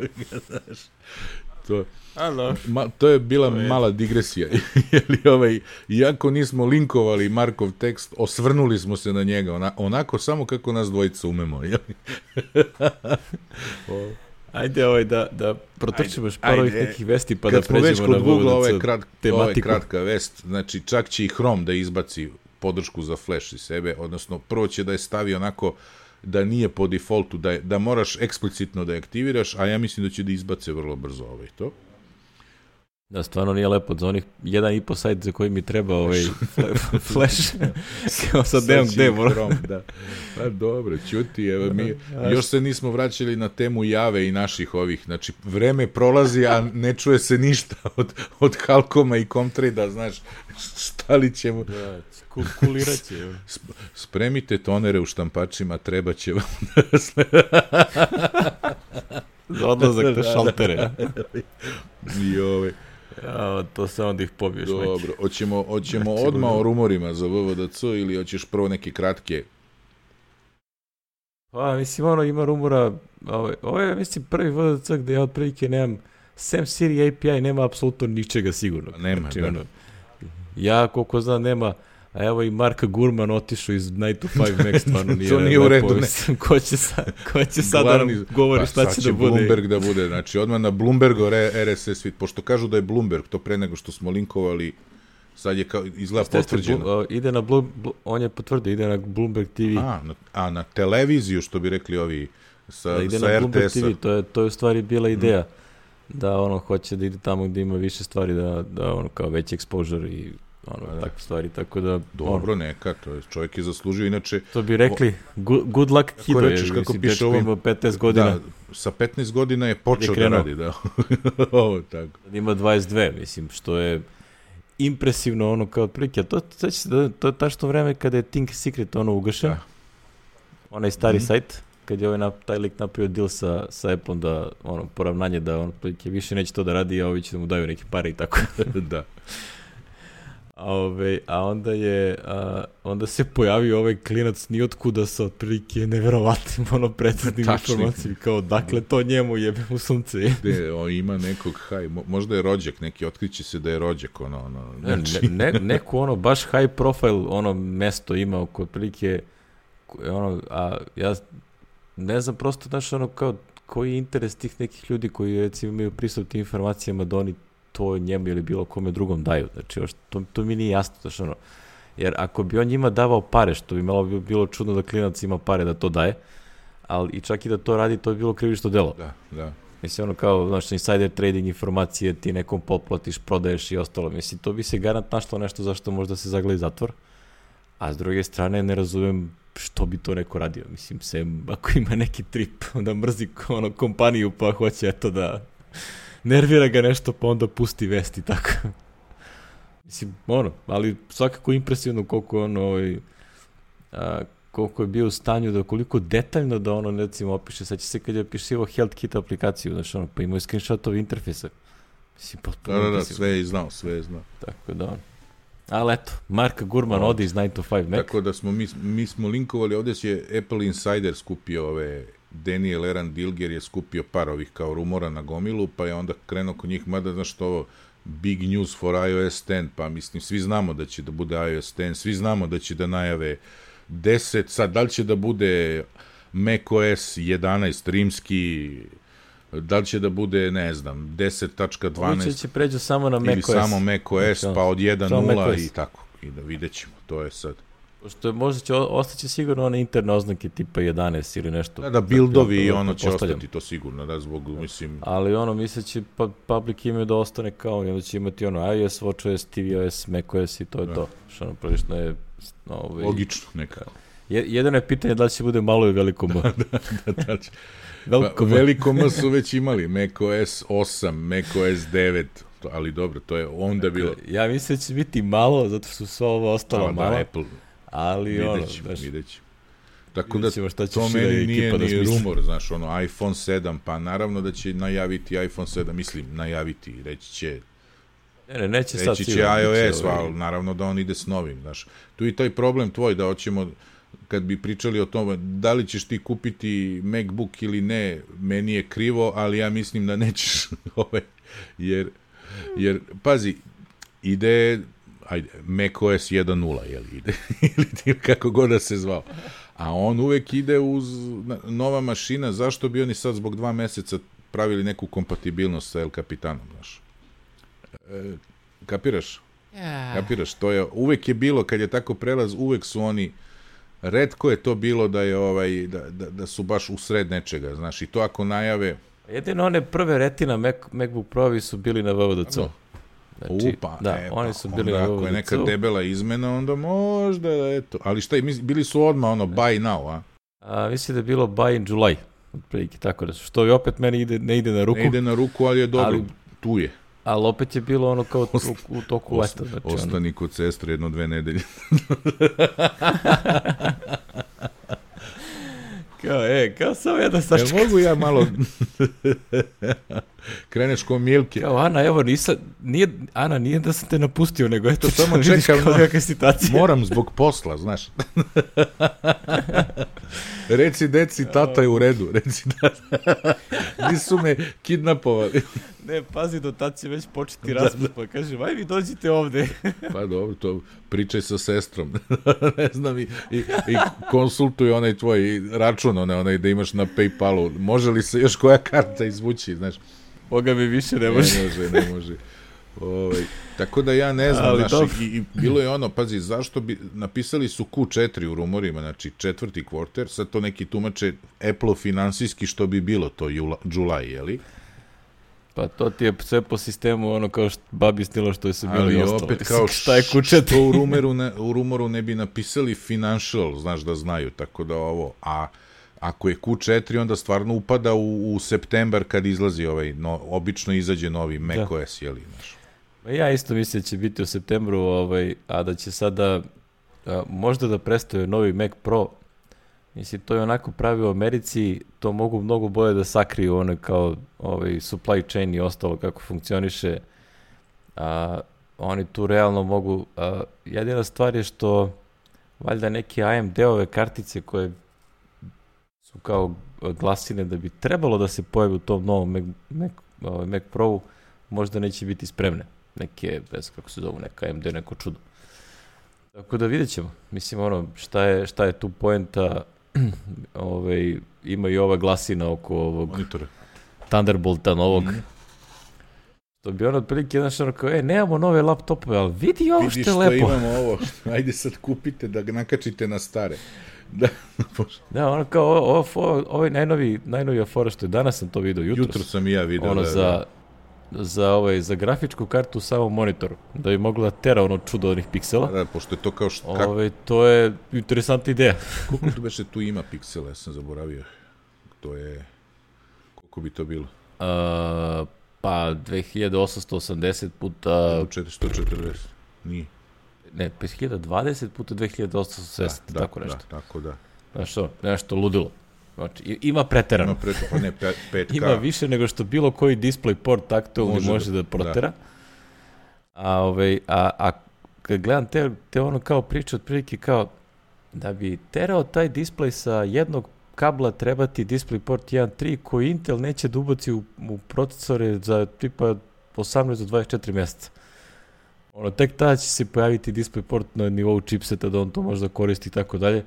To je bila mala digresija. Iako nismo linkovali Markov tekst, osvrnuli smo se na njega. Onako samo kako nas dvojica umemo. Ajde da protrčimo još par ovih nekih vesti pa da pređemo na VVDC tematiku. Ovo je kratka vest, znači čak će i Chrome da izbaci podršku za Flash iz sebe, odnosno prvo će da je stavi onako da nije po defaultu, da moraš eksplicitno da je aktiviraš, a ja mislim da će da izbace vrlo brzo to. Da, stvarno nije lepo za onih 1,5 sajt za koji mi treba Flash. Kao sad nemam gde moram. Pa dobro, ćuti, evo mi još se nismo vraćali na temu Jave i naših ovih, znači vreme prolazi, a ne čuje se ništa od Halcoma i Comtrade-a, znaš, šta li ćemo... Kulirat će. Spremite tonere u štampačima, treba će vam za odlazak na šaltere. I to se onda ih pobiješ. Dobro, hoćemo odmah o rumorima za VVDC ili hoćeš prvo neke kratke? Mislim, ima rumora, ovo je, mislim, prvi VVDC gde ja otprilike nemam, sem Siri API nema apsolutno ničega sigurno. Nema, znači, ja, koliko znam, nema, a evo i Marka Gurman otišao iz Night to 5 Max, stvarno nije. To nije u redu, ne. Ko će sad da nam govori šta će da bude? Bloomberg da bude, znači odmah na Bloombergu RSS feed, pošto kažu da je Bloomberg, to pre nego što smo linkovali, sad je izgleda potvrđeno. Ide na on je potvrdio, ide na Bloomberg TV. A na televiziju, što bi rekli ovi sa ide RTS-a. Na Bloomberg TV, to je u stvari bila ideja, da hoće da ide tamo gde ima više stvari, da kao veći exposure i takve stvari, tako da... Dobro, neka, to je, čovjek je zaslužio, inače... To bi rekli, good luck kid, kako piše ovo... Ima 15 godina. Da, sa 15 godina je počeo da radi, da. Ovo, tako. Ima 22, mislim, što je impresivno, kao otprilike, a to je tačno vreme kada je Think Secret, ugašen, onaj stari sajt, kad je taj lik napravio deal sa Apple-om da, poravnanje da otprilike više neće to da radi, a ovi će da mu daju neke pare i tako. Da. A onda se pojavio ovaj klinac nijotkuda sa otprilike neverovatnim preciznim informacijama, kao dakle to njemu jebe u sunce. Ima nekog možda je rođak neki, otkriće se da je rođak neko baš high profile mesto ima oko otprilike a ja ne znam prosto, znaš, kao koji je interes tih nekih ljudi koji recimo imaju pristup tim informacijama da oni to njemu ili bilo kome drugom daju. Znači, to mi nije jasno. Znači, jer ako bi on njima davao pare, što bi malo bilo čudno da klinac ima pare da to daje, ali i čak i da to radi, to bi bilo krivično delo. Da. Mislim, kao, znači, insider trading informacije, ti nekom potplatiš, prodaješ i ostalo. Mislim, to bi se garant našlo nešto zašto možda se zagleda zatvor. A s druge strane, ne razumem što bi to neko radio. Mislim, ako ima neki trip, onda mrzi kompaniju, pa hoće da nervira ga nešto, pa onda pusti vesti, tako. Mislim, ali svakako impresivno koliko koliko je bio u stanju da koliko detaljno da ono recimo opiše, sad će se kad je opisivao HealthKit aplikaciju, znači ono, pa imao je screenshotove interfejsa. Mislim, potpuno da, sve je znao. Tako da, ali eto, Mark Gurman ode iz 9 to 5 Mac. Tako da mi smo linkovali, ovdje je Apple Insider skupio Daniel Eran Dilger je skupio par ovih kao rumora na gomilu, pa je onda krenuo kod njih, mada znaš što ovo, big news for iOS 10, pa mislim, svi znamo da će da bude iOS 10, svi znamo da će da najave 10, sad da li će da bude macOS 11 rimski, da li će da bude, ne znam, 10.12 Ovo će pređu samo na macOS ili samo macOS, pa od 1.0 i tako, i da vidjet ćemo, to je sad. Pošto možda će ostaće sigurno one interne oznake tipa 11 ili nešto. Da, buildovi i ono će ostati to sigurno, da, zbog, mislim... Ali ono, misleći, public ime da ostane kao, i onda će imati ono iOS, WatchOS, tvOS, macOS i to je to. Što ono, prilično je... Logično, nekako. Jedino je pitanje da li će bude malo i veliko M. Veliko M su već imali, macOS 8, macOS 9, ali dobro, to je onda bilo... Ja mislim da će biti malo, zato što su ovo ostalo malo. Apple. Ali vidjet ćemo. Tako da to meni nije ni rumor, znaš, ono, iPhone 7, pa naravno da će najaviti iPhone 7, mislim, najaviti, reći će reći će iOS, ali naravno da on ide s novim, znaš. Tu i taj problem tvoj, da hoćemo, kad bi pričali o tome, da li ćeš ti kupiti MacBook ili ne, meni je krivo, ali ja mislim da nećeš, jer, pazi, ide... macOS 1.0, ide, ili kako god da se zvao. A on uvek ide uz nova mašina, zašto bi oni sad zbog 2 meseca pravili neku kompatibilnost sa El Capitanom, znaš? Kapiraš? Kapiraš, to je, uvek je bilo, kad je tako prelaz, uvek su oni, retko je to bilo da je da su baš usred nečega, znaš, i to ako najave... Jedino one prve Retina MacBook Pro-vi su bili na VVDC-u. Znači, oni su bili onda, ako je neka debela izmena, onda možda, eto. Ali šta, bili su odmah ono buy now, a? Mislim da je bilo buy in July, otprilike, tako da što i opet meni ne ide na ruku. Ne ide na ruku, ali je dobro, tu je. Ali opet je bilo ono kao u toku leta. Znači, ostani kod sestre 1-2 nedelje. Kao samo jedan sačekaj. Mogu ja malo... Kreneš ko Milke. Kao, Ana, evo, nije da sam te napustio, nego eto, samo čekam na kakve situacije. Moram zbog posla, znaš. Reci, deci, tata je u redu. Reci, tata. Nisu me kidnapovali. Ne, pazi, do tad će već početi razbog, pa kažem, aj vi dođite ovde. Pa dobro, to pričaj sa sestrom. Ne znam, i konsultuj onaj tvoj račun, onaj da imaš na PayPalu. Može li se još koja karta izvući, znaš? Boga mi više ne može. Ne može. Tako da ja ne znam, znaš, i bilo je ono, pazi, zašto bi, napisali su Q4 u rumorima, znači 4. kvarter, sad to neki tumače Apple finansijski što bi bilo to July, jeli? Pa to ti je sve po sistemu ono kao babi stilo što je se bilo i ostalo. Ali opet kao što u rumoru ne bi napisali financial, znaš da znaju, tako da ovo, a ako je Q4, onda stvarno upada u septembar kad izlazi obično izađe novi macOS, jeli, znaš. Ja isto mislim da će biti u septembru, a da će sada možda da prestaju novi Mac Pro. Mislim, to je onako pravi u Americi, to mogu mnogo bolje da sakriju ono kao supply chain i ostalo kako funkcioniše. Oni tu realno mogu, jedina stvar je što valjda neke AMD-ove kartice koje su kao glasine da bi trebalo da se pojavi u tom novom Mac Pro-u, možda neće biti spremne. Neke, bez kako se zovu, neka AMD, neko čudo. Tako da vidjet ćemo. Mislim, šta je tu poenta, ima i ova glasina oko ovog monitora. Thunderbolta novog. To bi ono otprilike jedan što kao, nemamo nove laptopove, ali vidi ovo što je lepo. Vidi što imamo ovo, ajde sad kupite da ga nakačite na stare. Da, ono kao, ovo je najnovija fora što je, danas sam to vidio, jutro sam i ja vidio. Ono za grafičku kartu samo monitor, da bi mogla tera ono čudo onih piksela. Da, pošto je to kao to je interesantna ideja. Koliko tu beše tu ima piksela, ja sam zaboravio. To je, koliko bi to bilo? Pa 2880 puta... 440, nije. 5020 puta 2870, tako nešto. Da, tako da. Znaš što, nešto ludilo. Znači, ima preterano. Pa ne, 5K. Ima više nego što bilo koji DisplayPort aktualni može da protera. A kad gledam te ono kao priče, otprilike kao da bi terao taj display sa jednog kabla trebati DisplayPort 1.3 koji Intel neće da ubaci u procesore za tipa 18 do 24 mjeseca. Tek tada će se pojaviti DisplayPort na nivou chipseta da on to može da koristi i tako dalje.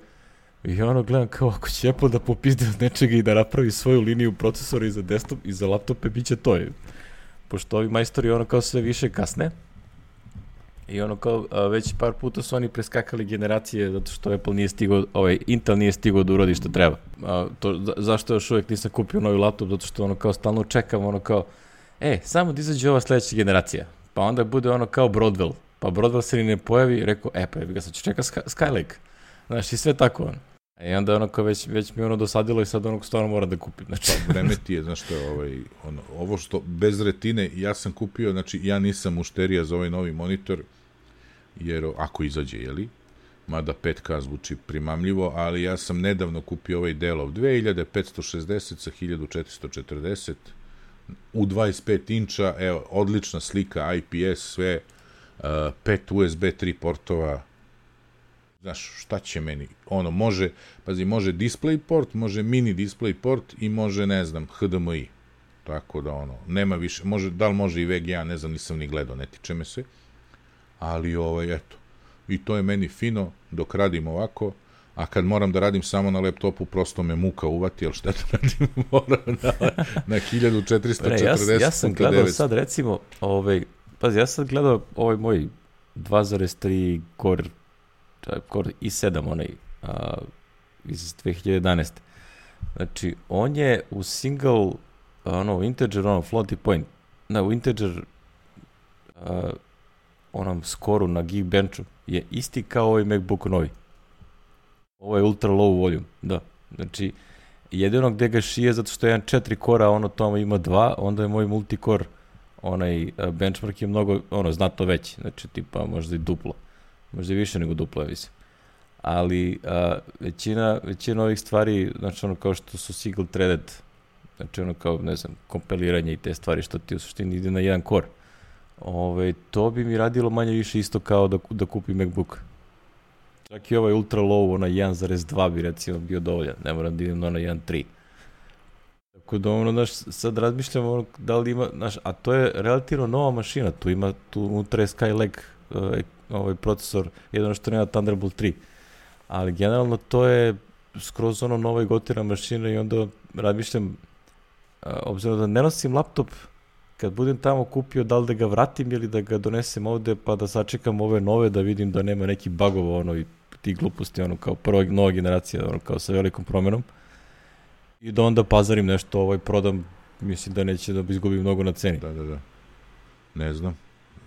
I gledam kao ako će Apple da popizde od nečega i da napravi svoju liniju procesora i za desktop i za laptope, bit će to. Pošto ovi majstori kao sve više kasne. I kao već par puta su oni preskakali generacije zato što Apple nije stigao, Intel nije stigao da uradi što treba. Zašto još uvijek nisam kupio novi laptop? Zato što kao stalno čekam samo da izađe ova sledeća generacija. Pa onda bude kao Broadwell. Pa Broadwell se ni ne pojavi, rekao, pa ga sad ću čeka Skylake. Znaš, i sve tako I onda kao već mi dosadilo i sad stvarno moram da kupim. Znači. Pa vreme ti je, znaš što, ovo što bez retine, ja sam kupio, znači ja nisam mušterija za ovaj novi monitor, jer ako izađe, jeli? Mada 5K zvuči primamljivo, ali ja sam nedavno kupio ovaj Dellov 2560 sa 1440 u 25 inča, evo, odlična slika, IPS, sve, 5 USB 3 portova, znaš, šta će meni? Može DisplayPort, može mini DisplayPort i može, ne znam, HDMI. Tako da, nema više, da li može i VGA, ne znam, nisam ni gledao, ne tiče me se. Ali, eto, i to je meni fino dok radim ovako, a kad moram da radim samo na laptopu, prosto me muka uvati, jer šta da radim, moram na 1440. Ja sam gledao sad, recimo, ja sam gledao ovaj moj 2.3 Core i7, iz 2011. Znači, on je u single, integer, floating point, u integer, skoru na Geekbenchu je isti kao ovaj MacBook novi. Ovo je ultra low volume, da. Znači, jedino gde ga šije, zato što je jedan 4 kora, tamo ima 2, onda je moj multicore, benchmark je mnogo, znatno veći, znači, tipa, možda i duplo. Možda i više nego duplo, ja mislim. Ali većina ovih stvari, znači, kao što su single threaded, znači, kao, ne znam, kompiliranje i te stvari, što ti u suštini ide na jedan core. To bi mi radilo manje više isto kao da kupim MacBook. Čak i ovaj ultra low, 1.2 bi recimo bio dovoljan, ne moram da idem na 1.3. Tako da, sad razmišljam da li ima, a to je relativno nova mašina, tu unutra je Skylake procesor, jedino što nema Thunderbolt 3. Ali generalno to je skroz nova i gotivna mašina i onda razmišljam, obzirom da ne nosim laptop, kad budem tamo kupio, da li da ga vratim ili da ga donesem ovde, pa da sačekam ove nove, da vidim da nema neki bugova, i ti gluposti, kao prva nova generacija, kao sa velikom promenom. I da onda pazarim nešto, prodam, mislim da neće da izgubim mnogo na ceni. Da. Ne znam.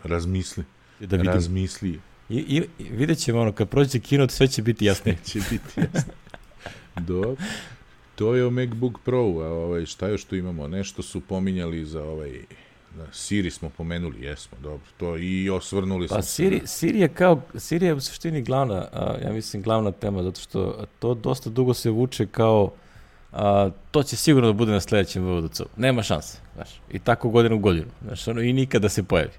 Razmisli. Da vidim. Razmisli. I vidjet ćemo, kad prođe keynote, sve će biti jasnije. Sve će biti jasnije. Dobro. To je o MacBook Pro, a šta još tu imamo? Nešto su pominjali za Siri smo pomenuli, jesmo, dobro, to i osvrnuli smo. Pa Siri je u suštini glavna, ja mislim glavna tema, zato što to dosta dugo se vuče kao to će sigurno da bude na sledećem VVDC-u, nema šanse, znaš, i tako godinu u godinu, znaš, i nikada se pojavi.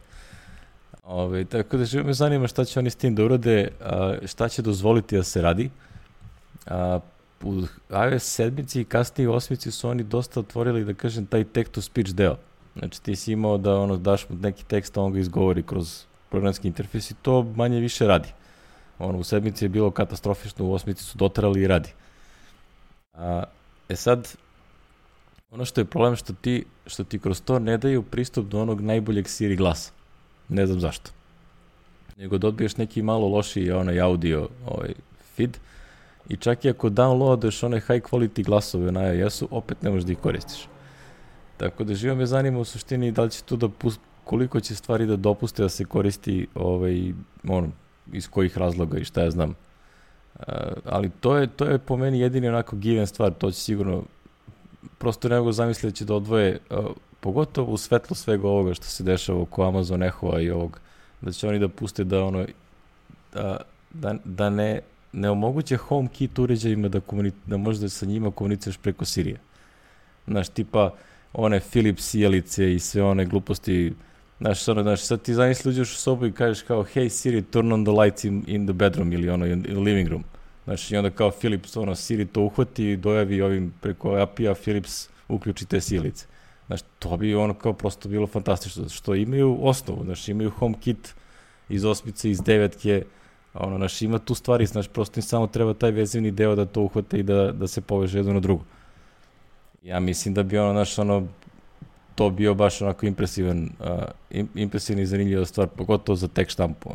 Tako da živo me zanima šta će oni s tim da urade, šta će dozvoliti da se radi. U iOS 7 i kasnije u 8 su oni dosta otvorili, da kažem, taj text-to-speech deo. Znači ti si imao da daš mu neki tekst, a on ga izgovori kroz programski interfejs i to manje više radi. U 7 je bilo katastrofično, u 8 su dotarali i radi. Sad, ono što je problem što ti kroz to ne daju pristup do onog najboljeg Siri glasa. Ne znam zašto. Nego dobiješ neki malo lošiji audio feed i čak i ako downloadaš one high quality glasove na iOS-u, opet ne možeš da ih koristiš. Tako da živo me zanima u suštini da li će tu koliko će stvari da dopuste da se koristi iz kojih razloga i šta ja znam. Ali to je po meni jedini onako given stvar, to će sigurno, prosto ne mogu zamisliti da će da odvoje, pogotovo u svetlu svega ovoga što se dešava oko Amazon Echo-a i ovog, da će oni da puste da da ne omoguće HomeKit uređajima da možda sa njima komuniciraš preko Sirija. Znaš, tipa one Philips sjelice i sve one gluposti. Znaš, sad ti zamisli uđeš u sobu i kažeš kao hey Siri, turn on the lights in the bedroom ili ono in the living room. Znaš, i onda kao Philips, Siri to uhvati i dojavi ovim preko API-a Philips uključi te sjelice. Znaš, to bi ono kao prosto bilo fantastično, što imaju osnovu, znaš, imaju HomeKit iz 8, iz 9, znaš, ima tu stvari, znaš, prosto im samo treba taj vezivni deo da to uhvate i da se poveže jedno na drugo. Ja mislim da bi to bio baš onako impresivna i zanimljiva stvar, pogotovo za tek štampu.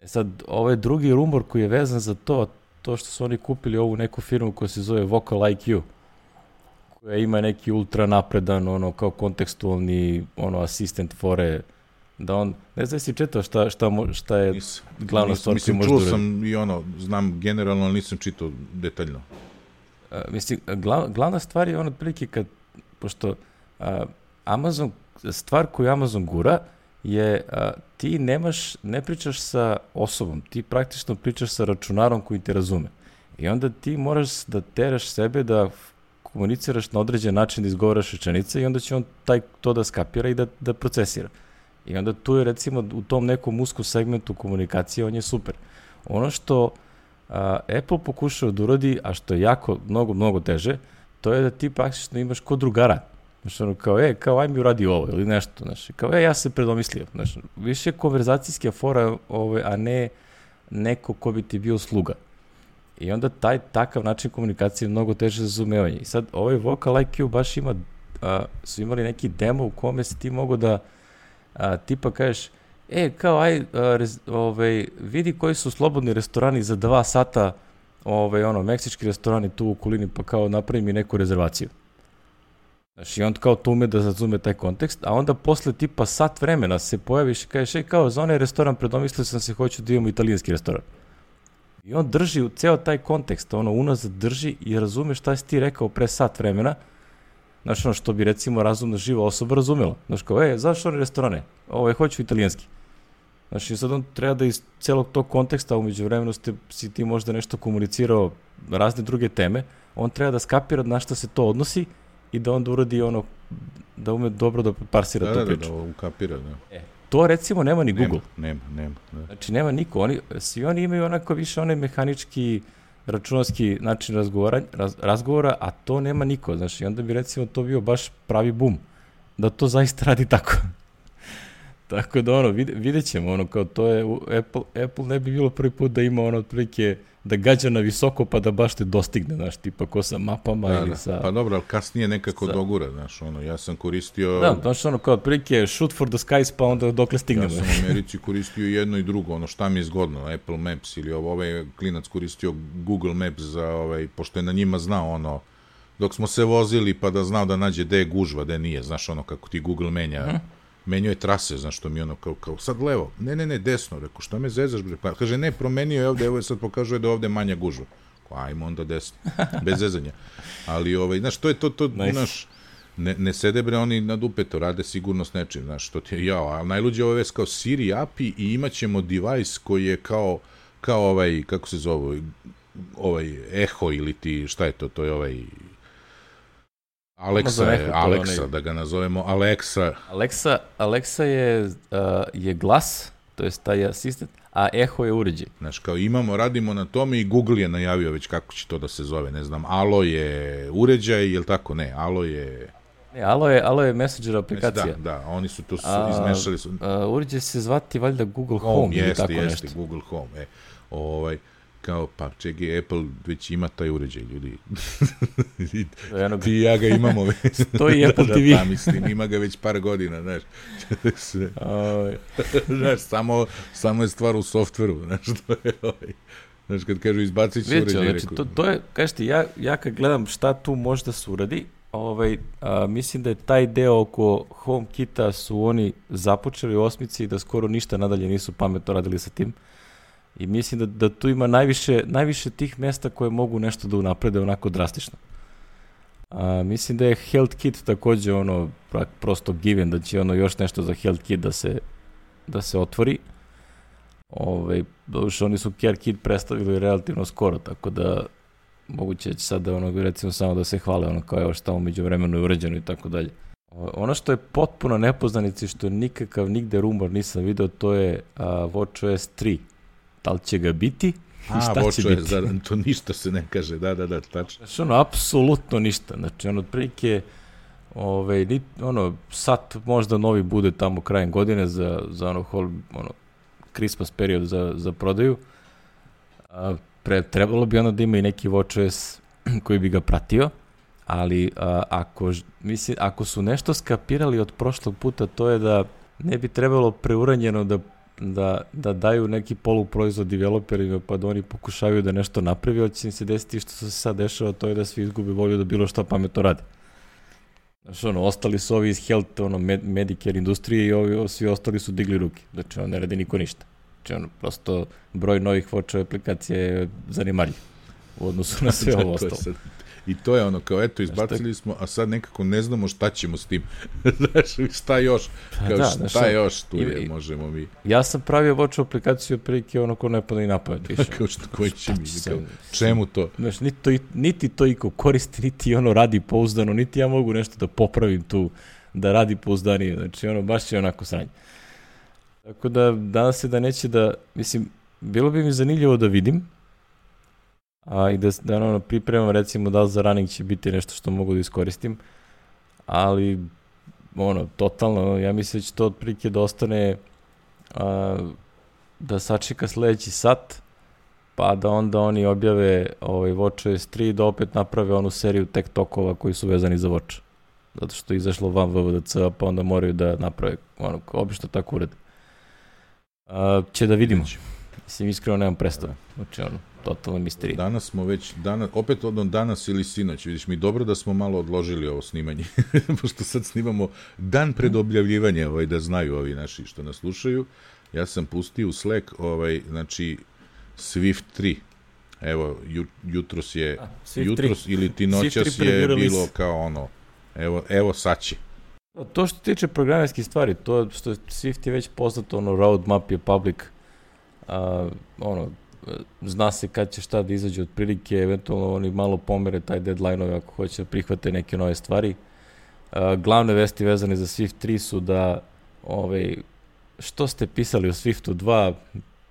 Sad, ovaj drugi rumor koji je vezan za to što su oni kupili ovu neku firmu koja se zove Vocal IQ, koja ima neki ultra napredan, kao kontekstualni, asistent fore, da on, ne znam si čitao šta je glavna stvar koju može da uradi. Čuo sam i znam generalno, ali nisam čitao detaljno. Mislim, glavna stvar je otprilike pošto Amazon, stvar koju Amazon gura je ti ne pričaš sa osobom, ti praktično pričaš sa računarom koji te razume. I onda ti moraš da teraš sebe da komuniciraš na određen način, da izgovaraš rečenice i onda će on to da skapira i da procesira. I onda tu je recimo u tom nekom uskom segmentu komunikacije, on je super. Ono što Apple pokušao da uradi, a što je jako, mnogo, mnogo teže, to je da ti praktično imaš kod drugara. Znaš, kao aj mi uradi ovo ili nešto, znaš, kao ja se predomislio, znaš, više konverzacijska fora, a ne neko ko bi ti bio sluga. I onda takav način komunikacije je mnogo teže za razumevanje. I sad ovaj Vocal IQ baš su imali neki demo u kome si ti mogo da tipa kažeš, kao vidi koji su slobodni restorani za 2 sata, meksički restorani tu u okolini, pa kao napravi mi neku rezervaciju. Znaš, i on kao to ume da razume taj kontekst, a onda posle tipa sat vremena se pojaviš i kažeš, kao za onaj restoran predomislio sam se, hoću da imamo italijanski restoran. I on drži u ceo taj kontekst, unazad drži i razume šta si ti rekao pre sat vremena, znaš, što bi recimo razumna živa osoba razumela. Znaš, kao, zašto one restorane? Hoću italijanski. Znaš, i sad on treba da iz celog tog konteksta, umeđu vremenu si ti možda nešto komunicirao razne druge teme, on treba da skapira na šta se to odnosi i da onda uradi da ume dobro da parsira tu priču. Da ukapira, da. To recimo nema ni Google. Nema. Da. Znači nema niko. Svi oni imaju onako više onaj mehanički, računarski način razgovora, a to nema niko. Znači, onda bi recimo to bio baš pravi bum. Da to zaista radi tako. Tako da vidjet ćemo, kao to je, Apple ne bi bilo prvi put da ima otprilike da gađa na visoko pa da baš te dostigne, znaš, tipa ko sa mapama ili sa... Pa dobro, ali kasnije nekako dogura, znaš, ja sam koristio... Da, znaš, kao otprilike shoot for the skies pa onda dokle stignemo. Ja sam u Americi koristio jedno i drugo, šta mi je zgodno, Apple Maps ili ovaj klinac koristio Google Maps za pošto je na njima znao dok smo se vozili pa da znao da nađe gde je gužva, gde nije, znaš, kako ti Google menjao je trase, znaš, što mi kao sad levo, ne, desno, rekao, šta me zezaš, bre, pa kaže, ne, promenio je ovde, evo je sad pokazuje da je ovde manja gužva, ajmo onda desno, bez zezanja, ali, znaš, to je to, znaš, ne sede, bre, oni na dupeto, rade sigurno s nečim, znaš, što ti je, ali najluđe ovo je kao Siri API i imat ćemo device koji je kao kako se zove, Echo ili ti, šta je to je Alexa, da ga nazovemo Alexa. Alexa je glas, to je taj asistent, a Echo je uređaj. Znaš, kao radimo na tome i Google je najavio već kako će to da se zove, ne znam, Alo je uređaj, je li tako? Ne, Alo je... Ne, Alo je Messenger aplikacija. Da, oni su to izmešali. Uređaj se zvati valjda Google Home ili tako nešto. Jeste, Google Home, kao, pa čekaj, Apple već ima taj uređaj, ljudi. Ti i ja ga imamo već. To je Apple TV. Pa mislim, ima ga već par godina, znaš. Znaš, samo je stvar u softveru, znaš, to je znaš, kad kažu izbacit ću uređaj. Znači, to je, kažete, ja kad gledam šta tu može da se uradi, mislim da je taj deo oko HomeKita su oni započeli u 8 i da skoro ništa nadalje nisu pametno radili sa tim. I mislim da tu ima najviše tih mesta koje mogu nešto da unaprede onako drastično. Mislim da je HealthKit takođe prosto given, da će još nešto za HealthKit da se otvori. Doduše, oni su Care Kit predstavili relativno skoro, tako da moguće će sad da recimo samo da se hvale kao evo šta umeđu vremenu je urađeno i tako dalje. Što je potpuno nepoznanici, što nikakav nigde rumor nisam video, to je WatchOS 3. Da li će ga biti? Šta će biti? To ništa se ne kaže, da, tačno. Znači, apsolutno ništa. Znači, otprilike, sad možda novi bude tamo krajem godine za Christmas period za prodaju. Trebalo bi da ima i neki WatchOS koji bi ga pratio, ali ako su nešto skapirali od prošlog puta, to je da ne bi trebalo preuranjeno da daju neki poluproizvod developerima pa da oni pokušavaju da nešto napravi, ali će im se desiti što se sad dešava, to je da svi izgubi volju da bilo šta pametno rade. Znači, ostali su ovi iz health, Medicare industrije i svi ostali su digli ruke. Znači, ne radi niko ništa. Znači, prosto broj novih WatchOS aplikacija je zanimarljiv u odnosu na sve ovo ostalo. I to je kao, eto, izbacili smo, a sad nekako ne znamo šta ćemo s tim. Znaš, šta još? Šta još tu je, možemo mi. Ja sam pravio WatchOS aplikaciju prilike ko ne pada i napamet više. Koji će mi, čemu to? Znaš, niti to iko koristi, niti radi pouzdano, niti ja mogu nešto da popravim tu, da radi pouzdanije. Znači, baš je onako sranje. Tako da, danas se da neće da, mislim, bilo bi mi zanimljivo da vidim, i da pripremam recimo da li za running će biti nešto što mogu da iskoristim, ali totalno, ja mislim da će to otprilike da ostane da sačeka sledeći sat, pa da onda oni objave WatchOS 3 da opet naprave onu seriju tech talkova koji su vezani za Watch, zato što je izašlo van WWDC, pa onda moraju da naprave, obično tako urede. Će da vidimo. Mislim, iskreno nemam predstavu. Znači, totalno misterija. Danas smo već, opet danas ili sinoć, vidiš mi, dobro da smo malo odložili ovo snimanje, pošto sad snimamo dan pred objavljivanje, da znaju ovi naši što nas slušaju. Ja sam pustio u Slack, znači, Swift 3. Evo, jutros ili ti noćas je bilo kao evo sad će. To što tiče programerskih stvari, to što Swift je već poznato, roadmap je public, zna se kad će šta da izađe otprilike, eventualno oni malo pomere taj deadline-ove ako hoće da prihvate neke nove stvari. Glavne vesti vezane za Swift 3 su da što ste pisali o Swiftu 2,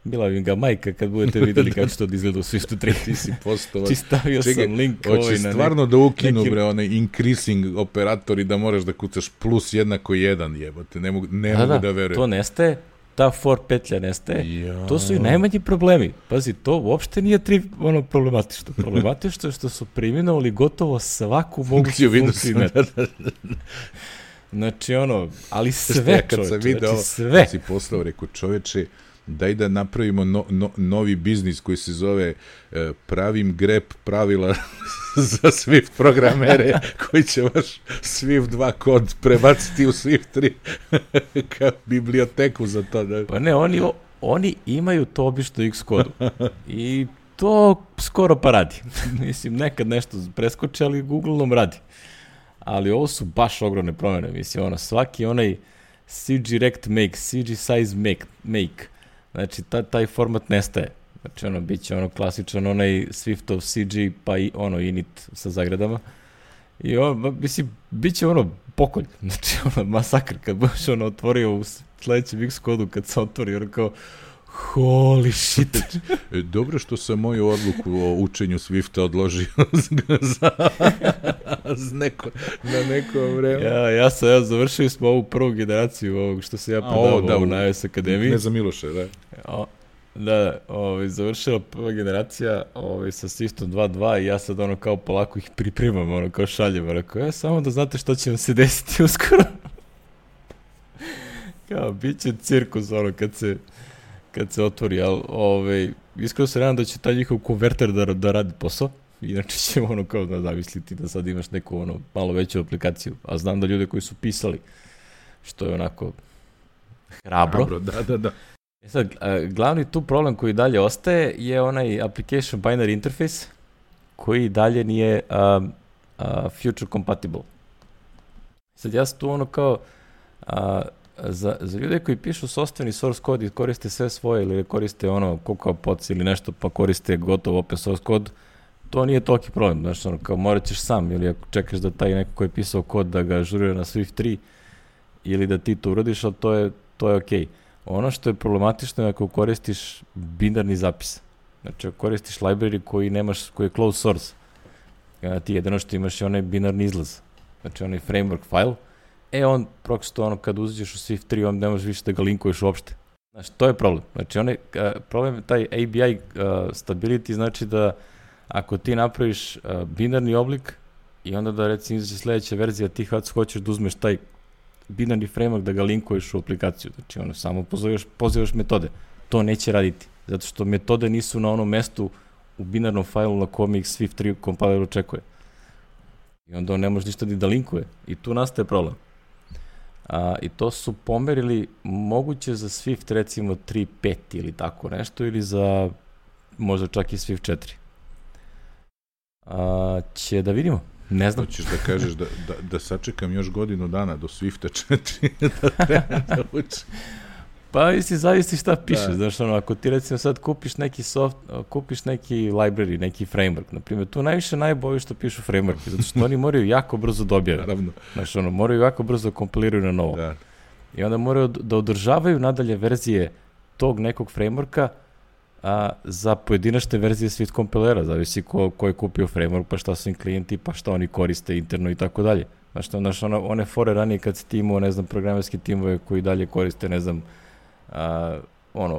bila bi ga majka kad budete videli kako će to da izgleda u Swiftu 3. Ti si postao. Stavio sam link hoće stvarno da ukinu onaj increasing operator i da moraš da kucaš plus jednako 1, jebote, ne mogu da verujem. To nestaje. Ta for petlja nestaje, to su i najmanji problemi. Pazi, to uopšte nije problematično. Problematično je što su preimenovali gotovo svaku moguću funkciju. Znači, ali sve, kad sam video, sve. Si poslao, rekao, čoveče, daj da napravimo novi biznis koji se zove pravim grep pravila za Swift programere koji će vaš Swift 2 kod prebaciti u Swift 3 kao biblioteku za to. Da. Pa ne, oni imaju to obično X-kodu i to skoro pa radi. Mislim, nekad nešto preskoče, ali uglavnom radi. Ali ovo su baš ogromne promjene. Mislim, svaki onaj CG rect make, CG size make, znači, taj format nestaje. Znači, bit će klasičan onaj Swiftov CG, pa i init sa zagradama. I mislim, bit će pokolj. Znači, masakr. Kad budeš otvorio u sledećem X-kodu, kad se otvori, kao, holy shit. Dobro što sam moju odluku o učenju Swifta odložio na neko vreme. Ja završili smo ovu prvu generaciju ovog što se ja predavao na iOS Akademiji. Ne za Miloše, da. Da, završila prva generacija sa Swiftom 2.2 i ja sad kao polako ih pripremam, kao šaljem, samo da znate što će vam se desiti uskoro. Kao, bit će cirkus, kad se otvori, ali iskreno se nadam da će taj njihov konverter da radi posao, inače ćemo kao da zamisliti da sad imaš neku malo veću aplikaciju, a znam da ljude koji su pisali, što je onako hrabro. Da. Sad, glavni tu problem koji dalje ostaje je onaj application binary interface koji dalje nije future compatible. Sad ja sam tu kao za ljude koji pišu sopstveni source code i koriste sve svoje ili koriste CocoaPods ili nešto pa koriste gotov open source kod, to nije toliki problem, znaš, kao morat ćeš sam ili ako čekaš da taj neko koji je pisao kod da ga ažurira na Swift 3 ili da ti to uradiš, ali to je okej. Ono što je problematično je ako koristiš binarni zapis. Znači, ako koristiš library koji je closed source, ti jedino što imaš je onaj binarni izlaz. Znači, onaj framework file, on prosto kad uđeš u Swift 3, on ne možeš više da ga linkuješ uopšte. Znači, to je problem. Znači, problem je taj ABI stability, znači da ako ti napraviš binarni oblik i onda da recimo izađe sledeća verzija, ti hoćeš da uzmeš taj binarni framework da ga linkuješ u aplikaciju. Znači, samo pozivaš metode. To neće raditi, zato što metode nisu na onom mestu u binarnom failu na kome ih Swift 3 compiler očekuje. I onda on ne može ništa da linkuje. I tu nastaje problem. I to su pomerili moguće za Swift recimo 3.5 ili tako nešto, ili za možda čak i Swift 4. Će da vidimo. Ne znam. Hoćeš da kažeš da sačekam još godinu dana do Swifta 4 da trebam da učim. Pa zavisi šta pišeš, znaš, ako ti recimo sad kupiš neki library, neki framework, na primjer, tu najbolje što pišu framework, zato što oni moraju jako brzo da objave. Naravno. Znaš, moraju jako brzo kompiliraju na novo. Da. I onda moraju da održavaju nadalje verzije tog nekog frameworka za pojedinačne verzije Swift kompilera, zavisi ko je kupio framework, pa šta su im klijenti, pa šta oni koriste interno i tako dalje. Znaš, one fore ranije kad si ti imao, ne znam, programerski timove koji dalje koriste, ne znam,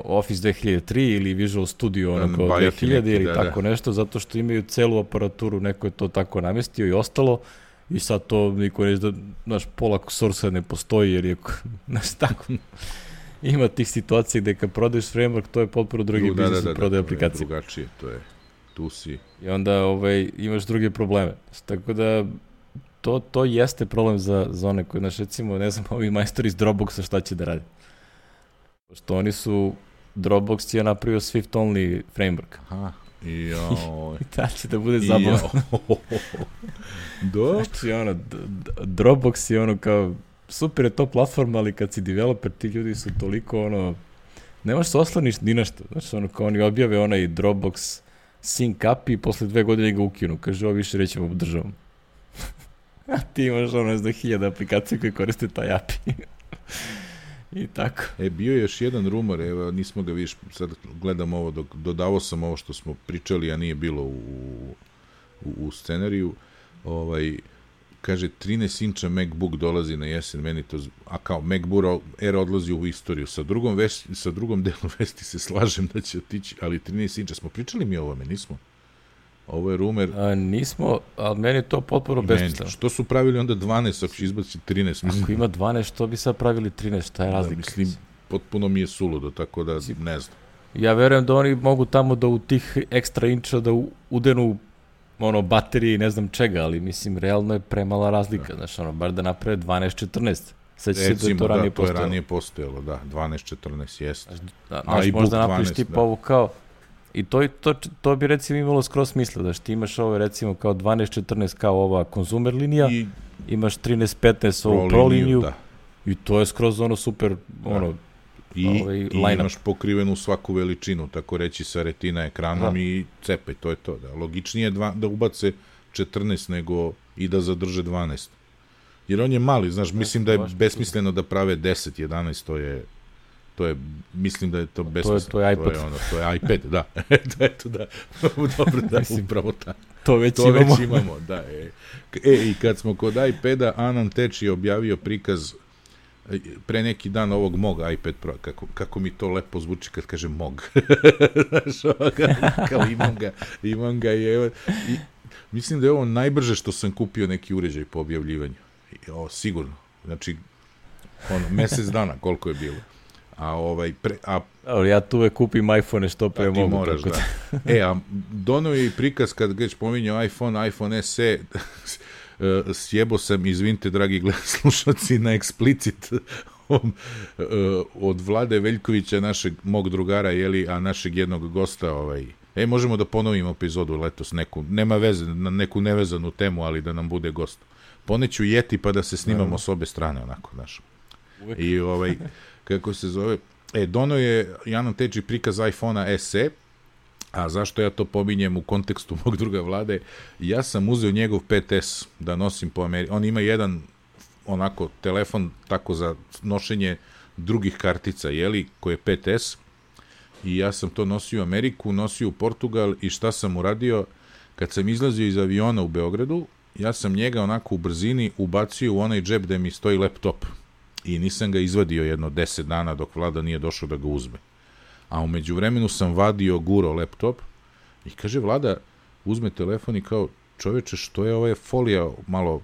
Office 2003 ili Visual Studio 2000 ili tako nešto, zato što imaju celu aparaturu, neko je to tako namestio i ostalo, i sad to niko neće da, znaš, pola source ne postoji, jer je, znaš, tako, ima tih situacija gde kad prodaješ framework, to je potpuno drugi biznis od prodaje aplikacije. Drugačije, to je, tu si. I onda imaš druge probleme. Tako da, to jeste problem za one koji, znaš, recimo, ne znam, ovi majstori iz Dropboxa šta će da radi. Pošto oni su, Dropbox je napravio Swift only framework. Aha, i da će da bude zabavno. Znači, Dropbox je kao, super je to platforma, ali kad si developer, ti ljudi su toliko, ne možeš se osloniš ni nešto. Znači, kao oni objave onaj Dropbox sync API i posle 2 godine ga ukinu. Kaže, ovo više rećemo državom. A ti imaš, ne znam, 1000 aplikacija koje koriste taj API. I tako. Bio je još jedan rumor, evo, nismo ga više, sad gledam ovo, dodavao sam ovo što smo pričali, a nije bilo u scenariju, kaže 13 inča MacBook dolazi na jesen, meni to, a kao MacBook Air odlazi u istoriju, sa drugom delom vesti se slažem da će otići, ali 13 inča, smo pričali mi o ovome, nismo? Ovo je rumer. Nismo, ali meni je to potpuno besmisleno. Što su pravili onda 12, ako će izbaci 13? Mislim. Ako ima 12, što bi sad pravili 13? Šta je razlika? Mislim, potpuno mi je suludo, tako da ne znam. Ja verujem da oni mogu tamo da u tih ekstra inča da udenu baterije i ne znam čega, ali mislim, realno je premala razlika. Znaš, bar da naprave 12-14. Recimo, da, to je ranije postojalo, da, 12-14, jest. Znaš, možda napraviš tipa ovu kao. I to bi recimo imalo skroz smisla, da što ti imaš ovo recimo kao 12-14 kao ova konzumer linija, imaš 13-15 ovu pro liniju i to je skroz super i imaš pokrivenu svaku veličinu, tako reći sa retina ekranom i cepaj, to je to. Da. Logičnije je da ubace 14 nego i da zadrže 12. Jer on je mali, znaš, mislim da je besmisleno da prave 10, 11, to je, mislim da je to besmisleno. To je iPad. To je iPad, da. Eto da, dobro da, upravo tako. To već imamo, da. I kad smo kod iPada, Anan Teč je objavio prikaz pre neki dan ovog mog iPad Pro, kako mi to lepo zvuči kad kažem mog. Znaš, kao imam ga i mislim da je ovo najbrže što sam kupio neki uređaj po objavljivanju. Sigurno. Znači, mesec dana koliko je bilo. Ja tu uvek kupim iPhone što pre mogu. Ti moraš, da. A donao je i prikaz kad već pominjao iPhone SE, sjebo sam, izvinite, dragi slušalci, na eksplicit od Vlade Veljkovića, mog drugara, a našeg jednog gosta, možemo da ponovimo epizodu letos, nema veze, na neku nevezanu temu, ali da nam bude gost. Poneću Yeti pa da se snimamo s obe strane, onako, znaš. I kako se zove, dono je Janan Teči prikaz iPhone-a SE, a zašto ja to pominjem u kontekstu mog druga Vlade, ja sam uzeo njegov 5S da nosim po Americi. On ima jedan onako telefon tako za nošenje drugih kartica, koji je 5S, i ja sam to nosio u Ameriku, nosio u Portugal, i šta sam uradio, kad sam izlazio iz aviona u Beogradu, ja sam njega onako u brzini ubacio u onaj džep gde mi stoji laptop i nisam ga izvadio jedno 10 dana dok Vlada nije došao da ga uzme. A u međuvremenu sam vadio, guro laptop i kaže Vlada, uzme telefon i kao, čoveče, što je ova folija malo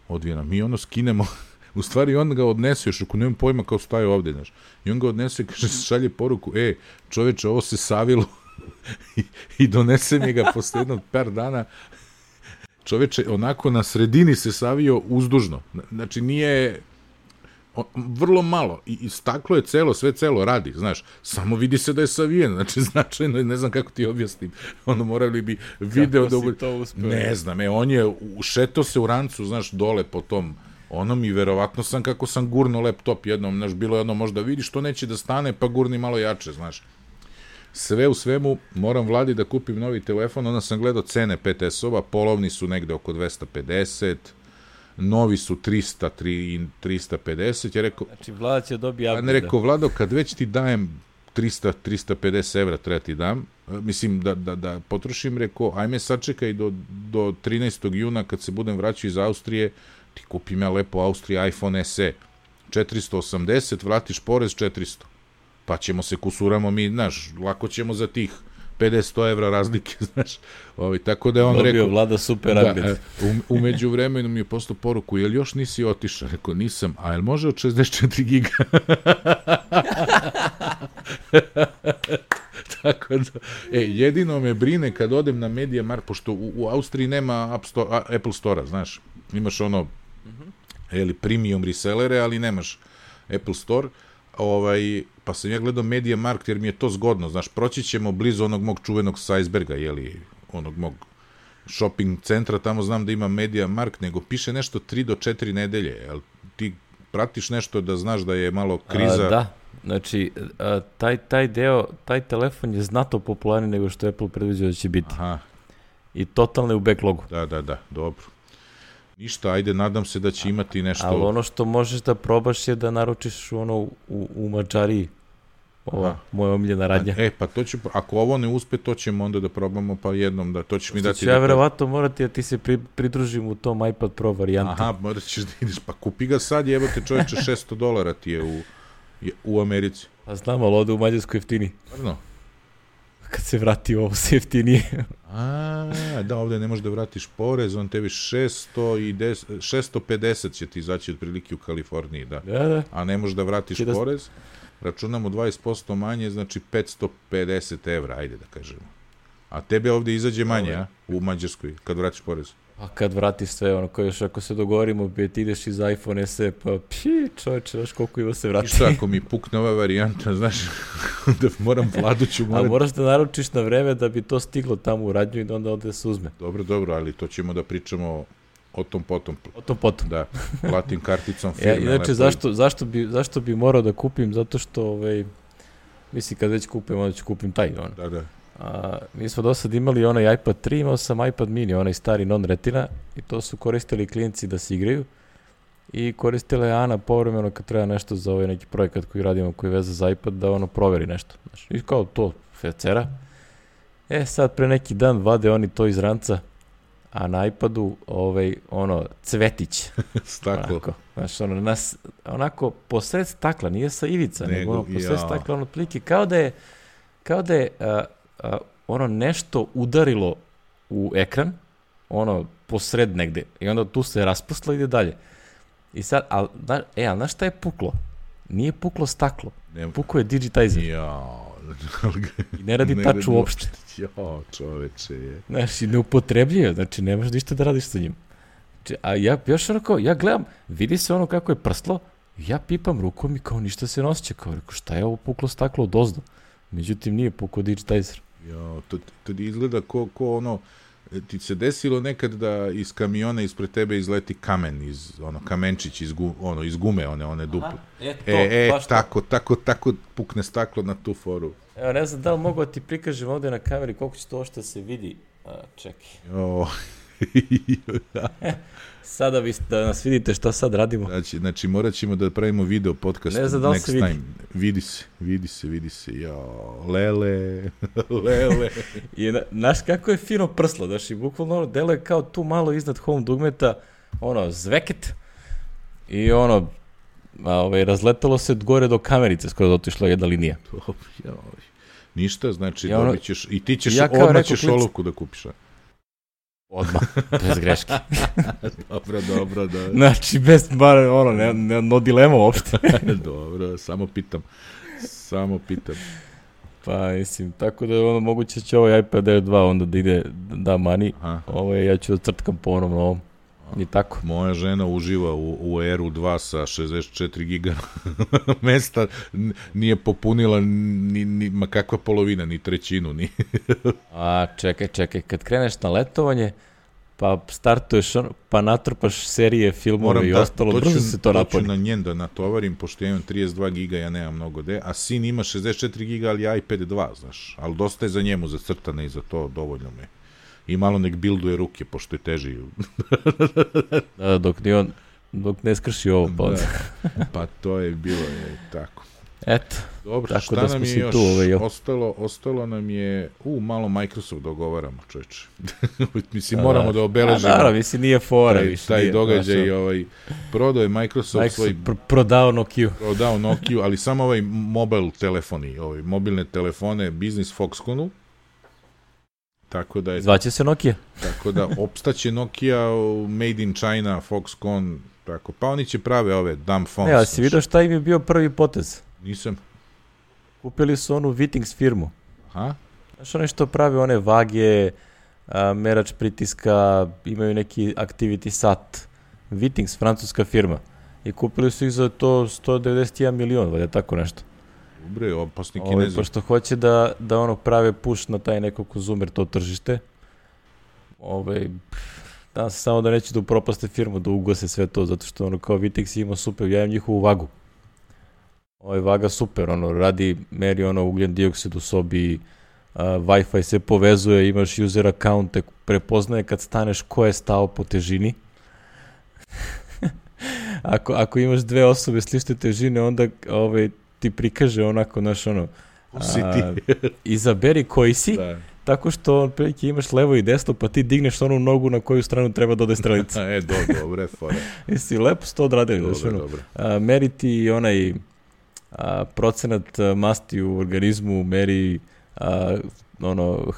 odvijena? Mi ono skinemo, u stvari on ga odnese, još ako nemam pojma kao staje ovde, znaš. I on ga odnese, kaže, šalje poruku, čoveče, ovo se savilo i donese mi ga posle jednog par dana. Čoveče, onako na sredini se savio uzdužno. Znači, nije vrlo malo. I staklo je celo, sve celo radi, znaš. Samo vidi se da je savijen. Znači, značajno, ne znam kako ti objasnim. Ono, morali bi video da... Kako si to uspeo? Ne znam, on je ušetao se u rancu, znaš, dole po tom onom i verovatno sam kako sam gurno laptop jednom, znaš, bilo je jedno možda vidiš što neće da stane, pa gurni malo jače, znaš. Sve u svemu, moram Vladi da kupim novi telefon, onda sam gledao cene 5S-ova, polovni su negde oko 250, novi su 300, 350, ja rekao... Znači, Vlada će dobiti upgrade. Ne rekao, Vlado, kad već ti dajem 350 evra, treba ti dam, mislim da potrošim, rekao, ajme sačekaj do 13. juna kad se budem vraćao iz Austrije, ti kupim ja lepo Austrija iPhone SE, 480, vratiš porez 400. Pa ćemo se kusuramo mi, znaš, lako ćemo za tih 50 evra razlike, znaš. Tako da je on rekao... Vlada super upgrade. Umeđu vremenu mi je poslao poruku, jel još nisi otišao? Rekao, nisam, a jel može od 64 giga? Tako da, jedino me brine kad odem na MediaMarkt, pošto u Austriji nema Apple Store-a, znaš. Imaš ono, premium resellere, ali nemaš Apple Store, pa sam ja gledao MediaMarkt jer mi je to zgodno, znaš, proći ćemo blizu onog mog čuvenog Sajsberga, onog mog shopping centra, tamo znam da ima MediaMarkt, nego piše nešto 3 do 4 nedelje, jel ti pratiš nešto da znaš da je malo kriza? Da, znači, taj telefon je znatno popularniji nego što Apple predviđao da će biti. Aha. I totalno je u backlogu. Da, dobro. Ništa, ajde, nadam se da će imati nešto... Ali ono što možeš da probaš je da naručiš u Mađariji, moja omiljena radnja. Pa to će, ako ovo ne uspe, to ćemo onda da probamo, pa jednom da, to ćeš mi dati... Što ću ja verovatno morati da ti se pridružim u tom iPad Pro varijanti. Aha, morat ćeš da ideš, pa kupi ga sad, jebote čovječe, $600 ti je u Americi. Pa znam, ali ovde u Mađarskoj jeftini. Stvarno? Kad se vrati ovo se jeftinije. Da, ovde ne možeš da vratiš porez, on tebi 650 će ti izaći otprilike u Kaliforniji, da. A ne možeš da vratiš porez, računamo 20% manje, znači 550 evra, ajde da kažemo. A tebe ovde izađe manje, u Mađarskoj, kad vratiš porez. A kad vratiš sve, ono, još ako se dogovorimo, ti ideš iz iPhone SE, pa čovječe, znaš koliko ima se vrati. Ništa, ako mi pukne ova varijanta, znaš, da moram Vladuću... A moraš da naručiš na vreme da bi to stiglo tamo u radnju i onda ovde se uzme. Dobro, ali to ćemo da pričamo o tom potom. Da, platim karticom firme. Inače, zašto bi morao da kupim? Zato što, mislim, kad već kupim, onda ću kupim taj, ono. Da. Mi smo do sad imali onaj iPad 3, imao sam iPad mini, onaj stari non-retina, i to su koristili klijenti da se igraju, i koristila je Ana povremeno kad treba nešto za ovaj neki projekat koji radimo, koji je veza za iPad, da ono proveri nešto. Znači, i kao to fecera. Sad pre neki dan vade oni to iz ranca, a na iPadu cvetić. Staklo. Onako posred stakla, nije sa ivica, nego posred stakla, otprilike, kao da je ono nešto udarilo u ekran, ono posred negde, i onda tu se raspustilo i ide dalje. I sad, ali znaš šta je puklo? Nije puklo staklo, puklo je digitizer. I ne radi tač uopšte. Čoveče je. Znaš, i neupotrebljivo, znači nemaš ništa da radiš sa njim. A ja gledam, vidi se ono kako je prslo, ja pipam rukom i kao ništa se ne osjeća, kao rekao, šta je ovo puklo staklo od ozdo? Međutim, nije pukao digitizer. To izgleda ko ono, ti se desilo nekad da iz kamiona ispred tebe izleti kamen, kamenčić iz gume, one duple. Tako pukne staklo na tu foru. Evo, ne znam da li mogu ti prikažem ovde na kameri koliko će to što se vidi. Čekaj. Sada da nas vidite šta sad radimo. Znači morat ćemo da pravimo video podcast next time. Vidi se. Lele. I znaš kako je fino prslo, znaš, i bukvalno deluje kao tu malo iznad home dugmeta, zveket, i razletalo se gore do kamerice, skoro da otišla jedna linija. Ništa, znači dobit ćeš, i ti ćeš odmah ćeš olovku da kupiš. Odmah, bez greške. Dobro, da. Znači, bez, no dilema uopšte. Dobro, samo pitam. Pa, mislim, tako da moguće će ovaj iPad Air 2 onda da ide, da mani, ja ću da crtkam ponovno ovom. I tako. Moja žena uživa u Airu 2 sa 64 giga mesta, nije popunila ma kakva polovina, ni trećinu. A, čekaj, kad kreneš na letovanje, pa startuješ, pa natrpaš serije, filmove i ostalo, brzo se to napuni. Moram na njen da natovarim, pošto ja imam 32 giga, ja nemam mnogo a sin ima 64 giga, ali iPad 2, znaš, ali dosta je za njemu zacrtane i za to dovoljno me. I malo nek bilduje ruke, pošto je teži. Dok ne skrši ovo. Pa to je bilo tako. Eto. Dobro, šta nam je još ostalo nam je, malo Microsoft dogovaramo, čovječe. Mislim, moramo da obeležimo. Naravno, mislim, nije fora više. Taj događaj, prodao je Microsoft svoj... Prodao Nokiju, ali samo mobile telefoni, mobilne telefone Business Foxconnu. Tako da je... Zvaće se Nokia. Tako da, opstaće Nokia, Made in China, Foxconn, tako. Pa oni će prave ove dumb phones. Ali si vidio šta im je bio prvi potez? Nisam. Kupili su onu Wittings firmu. Aha. Znaš, one što prave one vage, merač pritiska, imaju neki activity sat. Wittings, francuska firma. I kupili su ih za to 191 milion, valjda tako nešto. Dobre, opasni Kinezi. Pošto hoće da prave push na taj neko konzumer, to tržište. Nadam se samo da neće da upropaste firmu, da ugase sve to, zato što kao Vitix ima super, ja imam njihovu vagu. Vaga super, meri ugljen dioksid u sobi, Wi-Fi se povezuje, imaš user account, prepoznaje kad staneš ko je stao po težini. Ako imaš dve osobe slične težine, onda ti prikaže onako, izaberi koji si, tako što prilike imaš levo i desno, pa ti digneš onu nogu na koju stranu treba da ode strelica. Dobre, fora. Jesi lepo sto odradili. Meri ti onaj procenat masti u organizmu, meri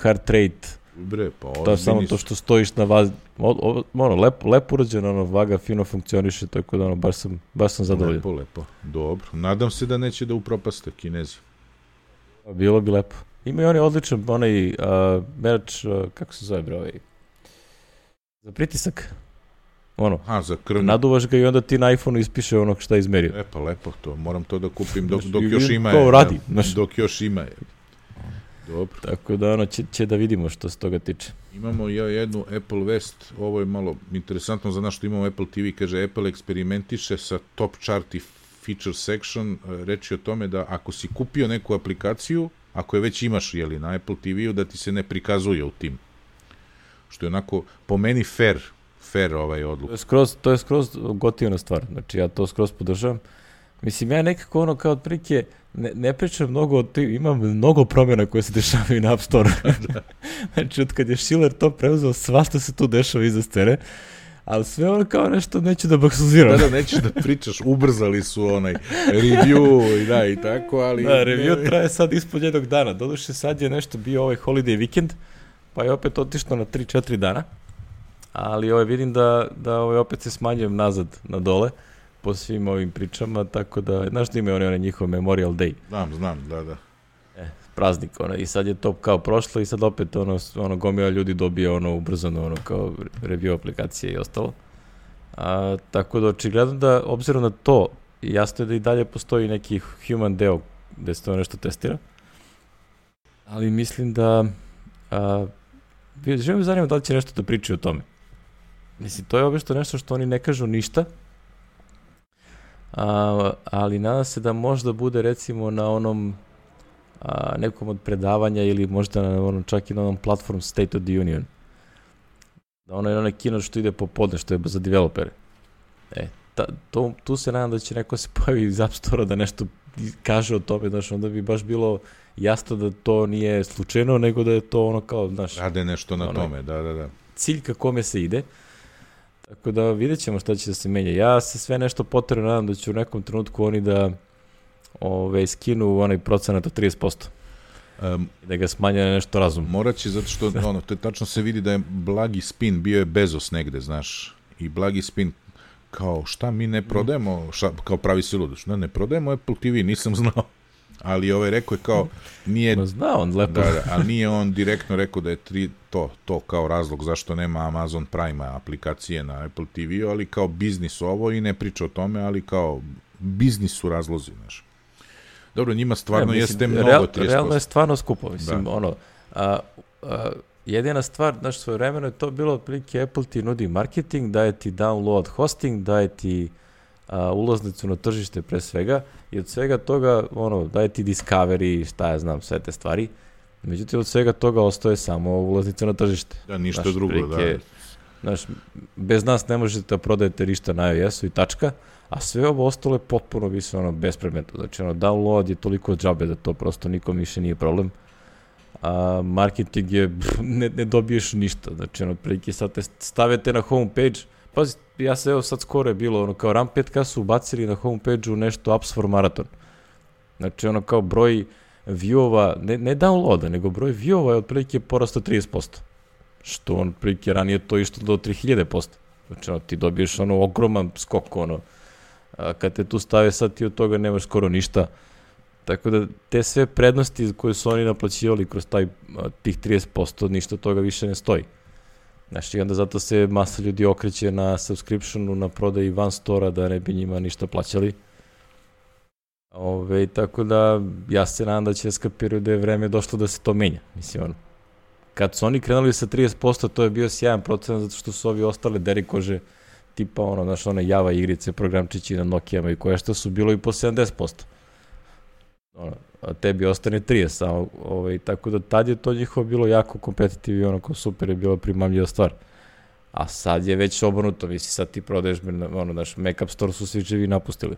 heart rate. Dobre, pa to je samo to što stojiš na vazi. Lepo urađeno, vaga fino funkcioniše, tako da baš sam zadovoljan. Lepo. Dobro. Nadam se da neće da upropaste Kinezi. Bilo bi lepo. Ima i odličan merač, kako se zove, za pritisak. Za krvni. Naduvaš ga i onda ti na iPhone-u ispiše onog šta je izmerio. Pa lepo to. Moram to da kupim dok još ima. To radi. Dok još ima. Dobro. Tako da će da vidimo što se toga tiče. Imamo jednu Apple vest, ovo je malo interesantno za nas što imamo Apple TV, kaže Apple eksperimentiše sa top chart i feature section, reči o tome da ako si kupio neku aplikaciju, ako je već imaš na Apple TV-u, da ti se ne prikazuje u tim. Što je onako po meni fair odluk. To je skroz gotivna stvar, znači ja to skroz podržavam. Mislim, ja nekako kao otprilike ne pričam mnogo o tim, imam mnogo promjena koje se dešavaju na App Store. Znači, od kad je Schiller to preuzeo, svašta se tu dešava iza scene, ali sve kao nešto neću da baksuziram. Da, nećeš da pričaš, ubrzali su review i tako, ali... Da, review traje sad ispod jednog dana. Doduše, sad je nešto bio holiday weekend, pa je opet otišlo na 3-4 dana, ali vidim da opet se smanjujem nazad na dole po svim ovim pričama, tako da, znaš da imaju oni njihov Memorial Day. Znam, da. Praznik, i sad je to kao prošlo i sad opet gomila ljudi dobije ubrzano kao review aplikacije i ostalo. Tako da očigledno da, obzirom na to, jasno je da i dalje postoji neki human deo gde se to nešto testira, ali mislim da želim zanimati da li će nešto da pričaju o tome. Mislim, to je obično nešto što oni ne kažu ništa, ali nadam se da možda bude recimo na onom nekom od predavanja ili možda na onom, čak i na onom platform State of the Union. Da ono je onaj kino što ide popodne, što je za developere. Tu se nadam da će neko se pojavi iz App Store-a da nešto kaže o tome, znaš, onda bi baš bilo jasno da to nije slučajno, nego da je to ono kao, znaš... Rade nešto na tome, da. Cilj ka kome se ide. Tako da vidjet ćemo šta će da se menja. Ja se sve nešto potrebno nadam da će u nekom trenutku oni da skinu onaj procenat od 30%. Da ga smanje na nešto razumno. Morat će, zato što tačno se vidi da je blagi spin, bio je Bezos negde, znaš, i blagi spin kao šta mi ne prodajemo, kao pravi se ludoš, ne prodajemo Apple TV, nisam znao, ali rekao je kao, nije... Znao on lepo. Da, ali nije on direktno rekao da je to kao razlog zašto nema Amazon Prime aplikacije na Apple TV, ali kao biznis ovo i ne priča o tome, ali kao biznis su razlozi, znaš. Dobro, njima stvarno jeste mnogo 30%. Realno je stvarno skupo, mislim, jedina stvar, znaš, svoje vremeno je to bilo otprilike Apple ti nudi marketing, daje ti download hosting, daje ti ulaznicu na tržište pre svega i od svega toga, daje ti Discovery, šta ja znam, sve te stvari. Međutim, od svega toga ostaje samo ulaznica na tržište. Da, ništa drugo, da. Znaš, bez nas ne možete da prodajete ništa na iOS-u i tačka, a sve ovo ostalo je potpuno više bespredmetno. Znači, download je toliko džabe da to prosto nikom više nije problem. A marketing je, ne dobiješ ništa. Znači, prilike sad te stavite na homepage. Pazi, ja se sad skoro je bilo, kao RAM5K su ubacili na homepage-u nešto Apps for Marathon. Znači, kao broj view-ova, ne downloada, nego broj view-ova je otprilike porastao 30%. Što otprilike ranije to išlo do 3000%. Znači, ti dobiješ ogroman skok, kad te tu stave, sad ti od toga nemaš skoro ništa. Tako da te sve prednosti koje su oni naplaćivali kroz tih 30%, ništa od toga više ne stoji. Znači, onda zato se masa ljudi okreće na subscriptionu, na prodaji van stora, da ne bi njima ništa plaćali. Tako da, ja se nadam da će skapiraju da je vreme došlo da se to menja. Mislim, kad su oni krenuli sa 30%, to je bio sjajan procenat, zato što su ovi ostale derikože, tipa one Java igrice, programčići na Nokijama i koje što su bilo i po 70%. A tebi ostane 30%, tako da tad je to njihovo bilo jako kompetitivno i kao super je bila primamljiva stvar. A sad je već obrnuto, misli, sad ti prodaješ, Mac App Store su svi živi napustili.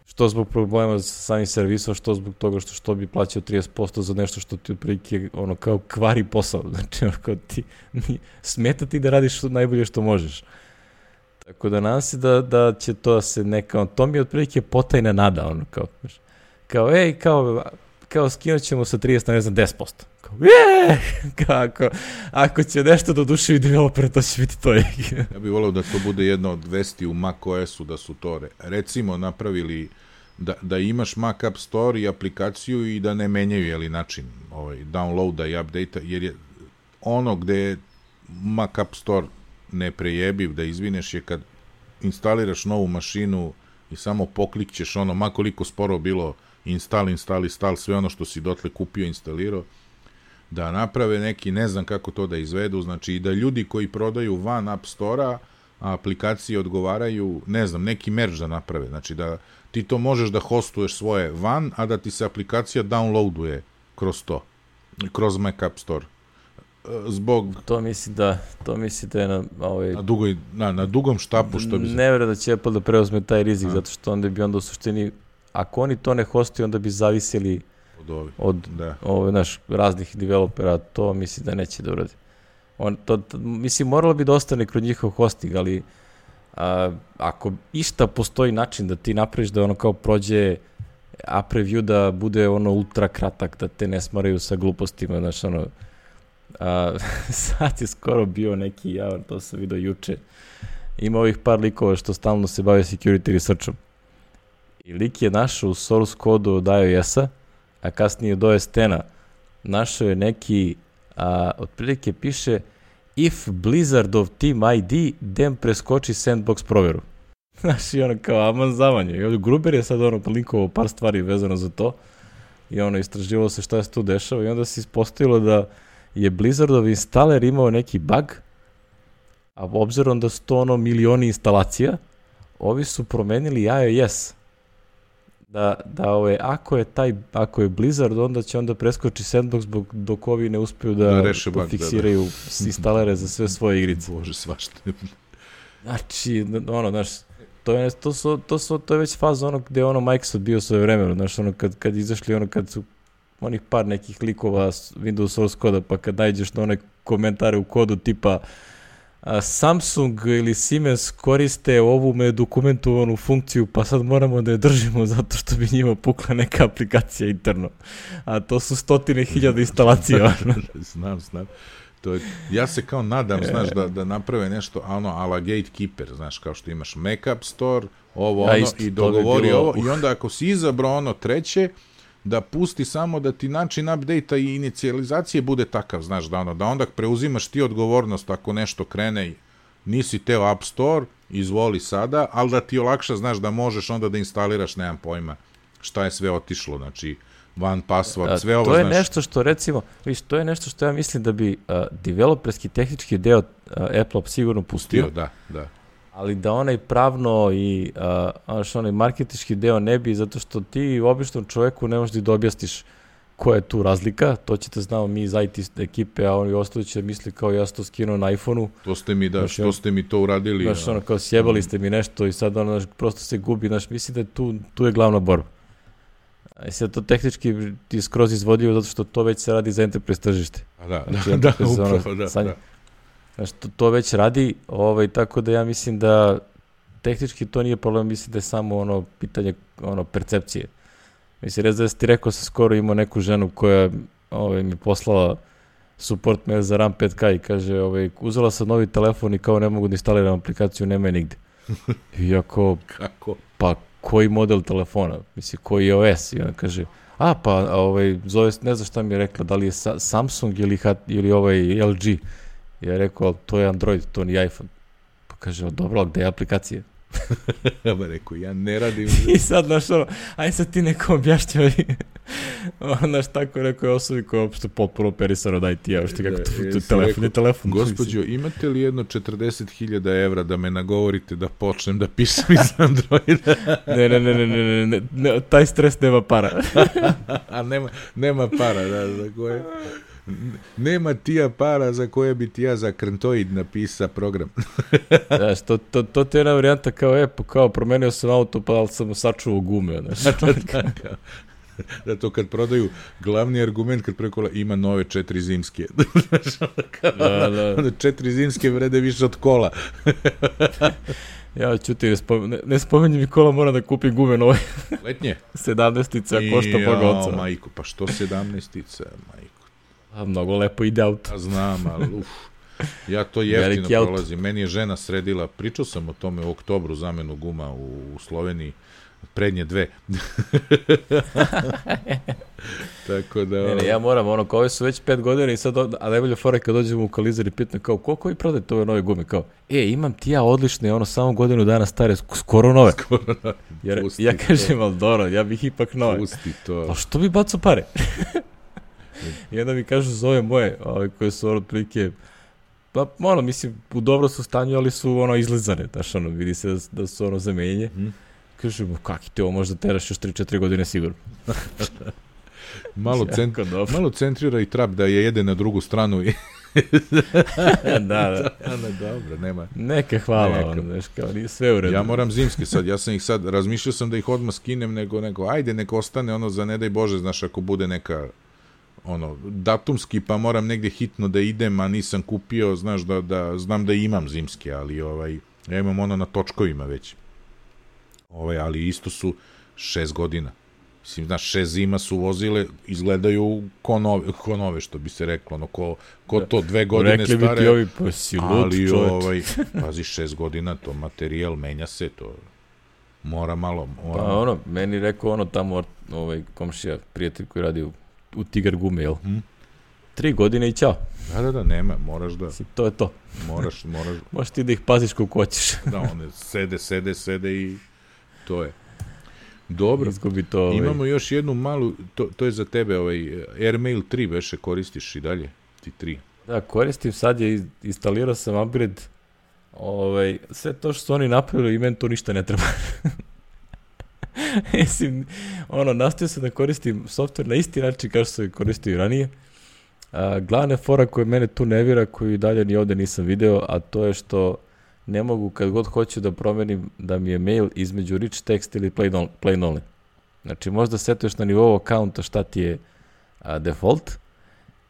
Što zbog problema sa samim servisom, što zbog toga što bi plaćao 30% za nešto što ti otprilike kao kvari posao. Znači, kao ti smeta ti da radiš najbolje što možeš. Tako da nadam se da će to se neka, to mi je otprilike potajna nada, kao skinut ćemo sa 30 na, ne znam, 10%. Ako će nešto da oduševi developera, to će biti to. Ja bih voleo da to bude jedna od vesti u macOS-u, da su to recimo napravili da imaš Mac App Store i aplikaciju i da ne menjaju način downloada i update-a, jer je ono gde je Mac App Store neprejebiv, da izvineš, je kad instaliraš novu mašinu i samo poklikćeš ma koliko sporo bilo install, sve ono što si dotle kupio, instalirao, da naprave neki, ne znam kako to da izvedu, znači i da ljudi koji prodaju van App Store-a, a aplikacije odgovaraju, ne znam, neki merge da naprave, znači da ti to možeš da hostuješ svoje van, a da ti se aplikacija downloaduje kroz to, kroz Mac App Store. Zbog... To misli da je na dugom štapu, što bi... Ne vjerujem da će Apple da preuzme taj rizik, zato što onda bi u suštini, ako oni to ne hostuju, onda bi zavisili od raznih developera, to misli da neće da uradi. Mislim, moralo bi da ostane kroz njihov hosting, ali ako išta postoji način da ti napraviš da kao prođe app review, da bude ultra kratak, da te ne smaraju sa glupostima, sad je skoro bio neki javor, to sam vidio juče, ima ovih par likova što stalno se bave security researchom i lik je našao u source kodu od iOS-a, a kasnije do S10-a našao je neki, otprilike piše if Blizzard of Team ID, then preskoči sandbox proveru. Znaš, i kao aman zavanje. I ovdje Gruber je sad linkovao par stvari vezano za to i istraživalo se šta se tu dešava i onda se ispostavilo da je Blizzardov instaler imao neki bug, a obzirom da su to milioni instalacija, ovi su promenili iOS. Da ako je Blizzard, onda će preskoči Sandbox dok ovi ne uspeju da fiksiraju instalere za sve svoje igrice. Bože, svašta. Znači, to je već faza gde Microsoft bio svoje vremeno, kad izašli, kad su onih par nekih likova Windows source koda, pa kad nađeš na one komentare u kodu tipa Samsung ili Siemens koriste ovu dokumentovanu funkciju, pa sad moramo da je držimo zato što bi njima pukla neka aplikacija interno. A to su 100.000 instalacija. Znam. Ja se kao nadam, znaš, da naprave nešto, ala Gatekeeper, znaš, kao što imaš Mac App Store, i dogovori ovo, i onda ako si izabrao treće, da pusti samo da ti način update-a i inicijalizacije bude takav, znaš, da onda preuzimaš ti odgovornost ako nešto krene, nisi teo App Store, izvoli sada, ali da ti olakša, znaš, da možeš onda da instaliraš, nemam pojma, šta je sve otišlo, znači, one password, sve ovo, znaš. To je nešto što, recimo, to je nešto što ja mislim da bi developerski tehnički deo Apple sigurno pustio. Da. Ali da onaj pravno i onaj marketinški deo ne bi, zato što ti običnom čoveku ne možeš da objasniš koja je tu razlika, to ćete znamo mi iz IT ekipe, a oni ostali će misli kao ja sam to skinuo na iPhone-u. To ste mi, što ste mi to uradili. Znaš, kao sjebali ste mi nešto i sad prosto se gubi, znaš, mislim da tu je glavna borba. I sad to tehnički ti skroz izvodio zato što to već se radi za enterprise tržište. Upravo, da. Znači, to već radi, tako da ja mislim da tehnički to nije problem, mislim da je samo pitanje percepcije. Mislim, da ti rekao sam skoro imao neku ženu koja mi poslala support mail za RAM 5K i kaže, uzela sam novi telefon i kao ne mogu da instaliram aplikaciju, nema je nigde. Iako, pa koji model telefona, mislim, koji je OS? I ona kaže, zove, ne znam šta mi je rekla, da li je Samsung ili LG. Ja rekao, to je Android, to nije iPhone. Pa kaže, dobro, gde je aplikacija? Ja ba rekao, ja ne radim. I sad, znaš, aj sad ti neko objašnjava. Znaš, tako rekao je osobi koja je uopšte potpuno operisano od IT-a, što kako to je telefon. Gospođo, imate li jedno 40.000 evra da me nagovorite da počnem da pišem iz Androida? Ne, taj stres nema para. A nema para, da, za koje... Nema tija para za koje bi ti ja za Krntoid napisa program. Znaš, to ti je jedna varijanta kao promenio sam auto pa ali sam sačuvao gume. Da to kad prodaju, glavni argument kad prekola ima nove 4 zimske. Onda 4 zimske vrede više od kola. Ja ćuti, ne spominji mi kola, moram da kupim gume nove. Letnje? 17-ica košta Boga oca. Majko, pa što 17-ica, majko? A mnogo lepo ide auto. Znam, ali ja to jeftino prolazim. Meni je žena sredila, pričao sam o tome u oktobru, zamenu guma u Sloveniji, prednje 2. Tako da... Ne, ja moram, kao ove su već 5 godina i sad, a najbolje fora kad dođemo u Kalizer i pitam kao, koliko vi prodajete ove nove gume? Kao, imam ti ja odlične, samo godinu dana stare, skoro nove. Jer ja kažem, ali dobro, ja bih ipak nove. Pusti to. Pa što bi bacao pare? I onda mi kažu zove moje, koje su otprilike, pa mislim, u dobro su stanju, ali su izlizane, znaš, vidi se da su zamenjenje. Kažem, kaki te ovo možda teraš još 3-4 godine sigurno. Malo centrira i trap da je jede na drugu stranu i... Da. Dobro, nema. Neka hvala, znaš, kao nije sve u redu. Ja moram zimske sad, razmišljao sam da ih odmah skinem, nego ajde, nek ostane za ne daj Bože, znaš, ako bude neka datumski, pa moram negdje hitno da idem, a nisam kupio, znaš, da znam da imam zimske, ali ja imam na točkovima već. Ali isto su 6 godina. Mislim, znaš, 6 zima su vozile, izgledaju ko nove, što bi se reklo, ko to 2 godine stare. Rekli bi ti ovi posilut, čovječ. Pazi, 6 godina, to materijal menja se, to mora malo. Pa meni rekao tamo, komšija, prijatelj koji radi u Tigar gume, jel? 3 godine i ćao. Da, nema, moraš da... To je to. Moraš. Možeš ti da ih paziš koliko hoćeš. Da, one sede i to je. Dobro, imamo još jednu malu, to je za tebe, Airmail 3 veše koristiš i dalje? T3. Da, koristim, sad je instalirao sam upgrade, sve to što su oni napravili i meni to ništa ne treba. Mislim, nastavio sam da koristim software na isti način kao što sam koristio i ranije. Glavna fora koja mene tu nervira, koju i dalje ni ovde nisam video, a to je što ne mogu kad god hoću da promenim da mi je mail između rich text ili plain only. Znači možda setuješ na nivou akaunta šta ti je default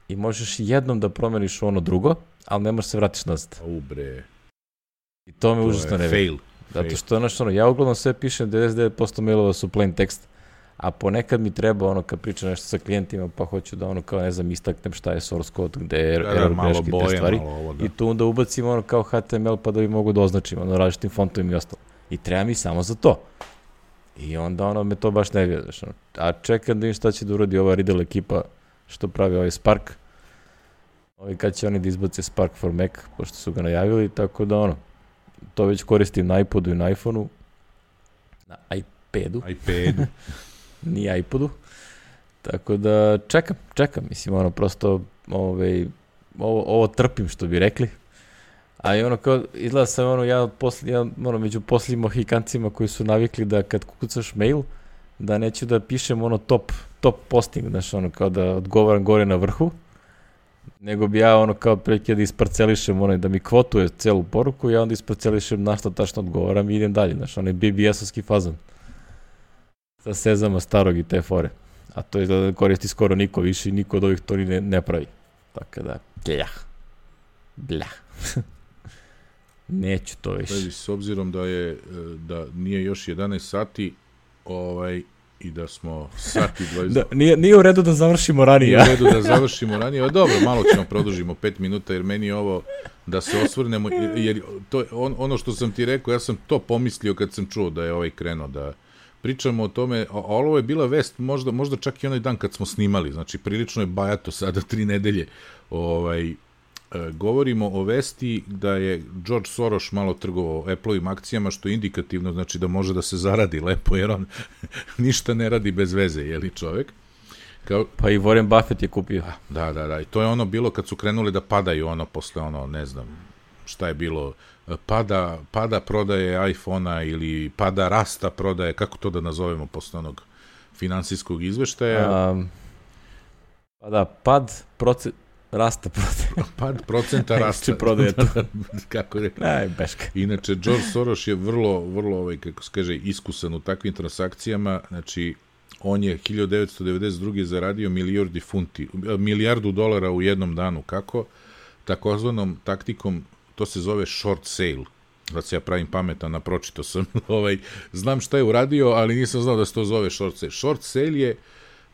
i možeš jednom da promeniš ono drugo, ali ne možeš se vratiš nazad. Bre. I to me užasno nervira. Fail. Zato što ja uglavnom sve pišem, 99% mailova su plain text, a ponekad mi treba kad pričam nešto sa klijentima, pa hoću da kao ne znam istaknem šta je source code, gde je error greške, te stvari. I tu onda ubacim kao HTML pa da bi mogu da označim različitim fontovima i ostalo. I treba mi samo za to. I onda me to baš nervira. A čekam da im šta će da uradi ova Riddle ekipa što pravi ovaj Spark. Kad će oni da izbace Spark for Mac, pošto su ga najavili, tako da to već koristim na iPodu i na iPhoneu. Na iPadu. Nije iPodu. Tako da čekam. Mislim, prosto ovo trpim, što bi rekli. A i kao, izgleda sam među posljednjim mohikancima koji su navikli da kad kucaš mail, da neću da pišem top posting, znaš, kao da odgovaram gore na vrhu, nego bi ja kao prilike da isparcelišem, da mi kvotuje celu poruku, ja onda isparcelišem na što tačno odgovaram i idem dalje, znaš, BBS-ovski fazan. Sa sezama starog i te fore. A to izgleda da koristi skoro niko više i niko od ovih to ni ne pravi. Tako da, blah. Neću to više. S obzirom da nije još 11 sati, i da smo sati 20... Nije u redu da završimo ranije. Nije u redu da završimo ranije, ali dobro, malo ćemo produžimo 5 minuta, jer meni je ovo da se osvrnemo, jer to, ono što sam ti rekao, ja sam to pomislio kad sam čuo da je krenuo, da pričamo o tome, a ovo je bila vest, možda čak i onaj dan kad smo snimali, znači prilično je bajato sada 3 nedelje, govorimo o vesti da je George Soros malo trgovao Apple-ovim akcijama, što je indikativno, znači da može da se zaradi lepo, jer on ništa ne radi bez veze, je li čovek? Pa i Warren Buffett je kupio. Da, i to je bilo kad su krenuli da padaju, posle ne znam šta je bilo, pada prodaje iPhona ili pada rasta prodaje, kako to da nazovemo posle onog finansijskog izveštaja? Pad rasta prodaje. Pad procenta rasta. Prodaje to. Kako je? Beška. Inače, George Soros je vrlo, kako se kaže, iskusan u takvim transakcijama, znači, on je 1992. zaradio milijardu dolara u jednom danu. Kako? Takozvanom taktikom, to se zove short sale. Da se ja pravim pametan, napročito sam. Znam šta je uradio, ali nisam znao da se to zove short sale. Short sale je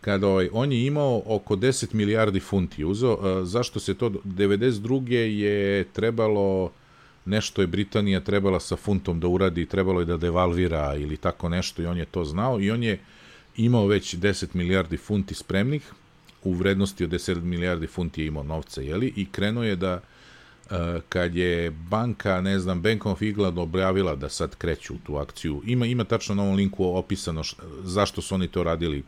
kada on je imao oko 10 milijardi funti uzeo. Zašto se to? 92. je trebalo, nešto je Britanija trebala sa funtom da uradi, trebalo je da devalvira ili tako nešto i on je to znao i on je imao već 10 milijardi funti spremnih, u vrednosti od 10 milijardi funti je imao novca, jeli? I krenuo je da, kad je banka, ne znam, Bank of England objavila da sad kreću u tu akciju, ima tačno na ovom linku opisano zašto su oni to radili,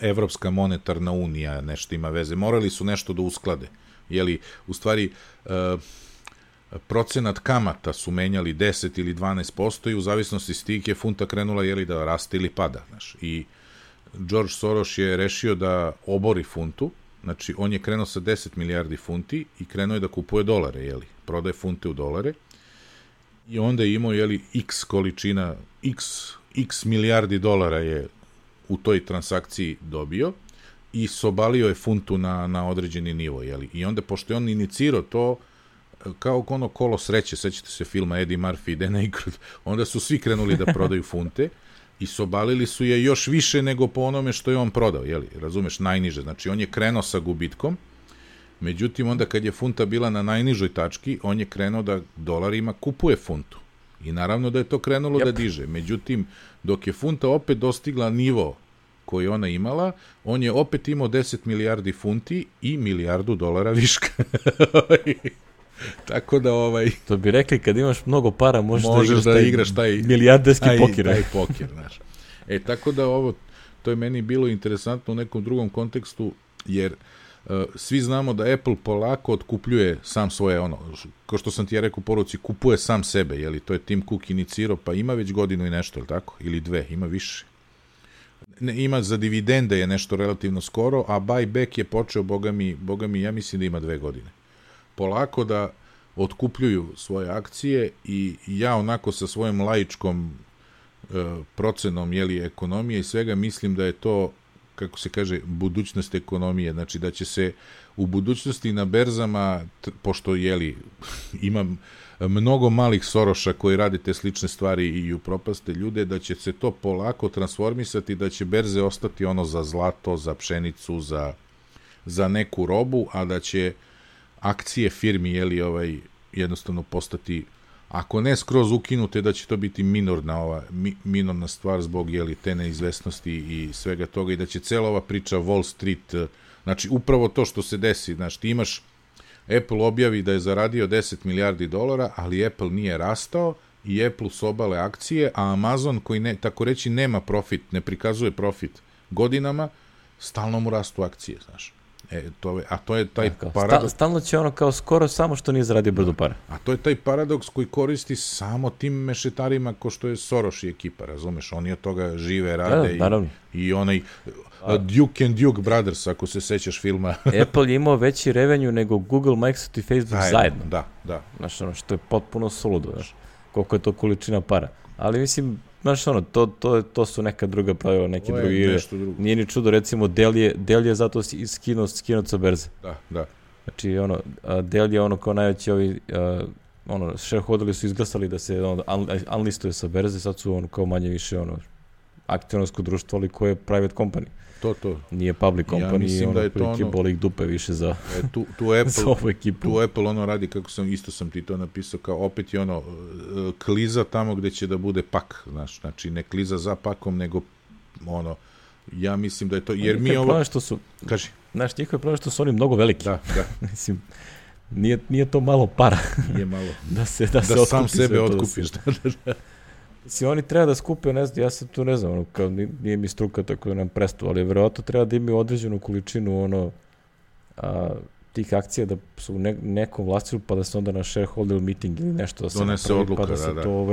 Evropska monetarna unija, nešto ima veze, morali su nešto da usklade, jeli, u stvari, procenat kamata su menjali 10 ili 12% i u zavisnosti s tih je funta krenula da raste ili pada. Znaš. I George Soros je rešio da obori funtu, znači on je krenuo sa 10 milijardi funti i krenuo je da kupuje dolare, prodaje funte u dolare i onda je imao x količina, x milijardi dolara je u toj transakciji dobio i sobalio je funtu na određeni nivo. I onda, pošto je on inicirao to, kao kolo sreće, sećate se filma Eddie Murphy i Dan Aykroyd, onda su svi krenuli da prodaju funte i sobalili su je još više nego po onome što je on prodao, razumeš, najniže. Znači, on je krenuo sa gubitkom, međutim, onda kad je funta bila na najnižoj tački, on je krenuo da dolarima kupuje funtu. I naravno da je to krenulo da diže. Međutim, dok je funta opet dostigla nivo koji ona imala, on je opet imao 10 milijardi funti i milijardu dolara viška. Tako da To bi rekli, kad imaš mnogo para, možeš da igraš taj milijarderski pokir. Taj pokir, znaš. Tako da to je meni bilo interesantno u nekom drugom kontekstu, jer svi znamo da Apple polako otkupljuje sam svoje, kao što sam ti ja rekao u poruci, kupuje sam sebe, jeli, to je Tim Cook inicirao, pa ima već godinu i nešto, ili tako? Ili 2, ima više. Ima za dividende je nešto relativno skoro, a buyback je počeo, boga mi, ja mislim da ima 2 godine. Polako da otkupljuju svoje akcije i ja onako sa svojom laičkom procenom ekonomije i svega mislim da je to, kako se kaže, budućnost ekonomije, znači da će se u budućnosti na berzama, pošto ima mnogo malih Soroša koji rade te slične stvari i upropaste ljude, da će se to polako transformisati, da će berze ostati za zlato, za pšenicu, za neku robu, a da će akcije firmi jednostavno postati, ako ne skroz ukinute, da će to biti minorna stvar zbog te neizvesnosti i svega toga i da će cela ova priča Wall Street, znači upravo to što se desi, znači ti imaš Apple objavi da je zaradio 10 milijardi dolara, ali Apple nije rastao i Apple su obale akcije, a Amazon koji tako reći nema profit, ne prikazuje profit godinama, stalno mu rastu akcije, znaš. A to je taj paradoks. Stalno će kao skoro samo što nije zaradio brdo para. A to je taj paradoks koji koristi samo tim mešetarima ko što je Soros i ekipa, razumeš? Oni od toga žive, rade i onaj Duke and Duke Brothers, ako se sećaš filma. Apple je imao veći revenue nego Google, Microsoft i Facebook zajedno. Da. Znaš, što je potpuno suludo, znaš, koliko je to količina para. Ali mislim, znaš, to su neka druga pravila, neki drugi igre. Nije ni čudo, recimo, Dell je zato skinut sa berze. Da. Znači, Dell je kao najveći shareholderi su izglasali da se unlistuje sa berze, sad su kao manje više akcionarsko društvo, ali koje je private company. To. Nije public company, ja mislim da je to boli ih dupe više za za ovu ekipu. Tu Apple radi, kako sam ti to napisao, kao opet je kliza tamo gde će da bude pak, znaš, znači ne kliza za pakom, nego ja mislim da je to, jer mi ovo... Kaži. Znaš, njihov je problem što su oni mnogo veliki. Da. Mislim, nije to malo para. Nije malo. da sam sebe otkupiš. Mislim, oni treba da skupe, ne znam, ja sam tu ne znam, kao nije mi struka tako da nam prestu, ali verovatno treba da imaju određenu količinu tih akcija da su u nekom vlastilu, pa da se onda na shareholder meeting ili nešto da se donese odluka, pa da se to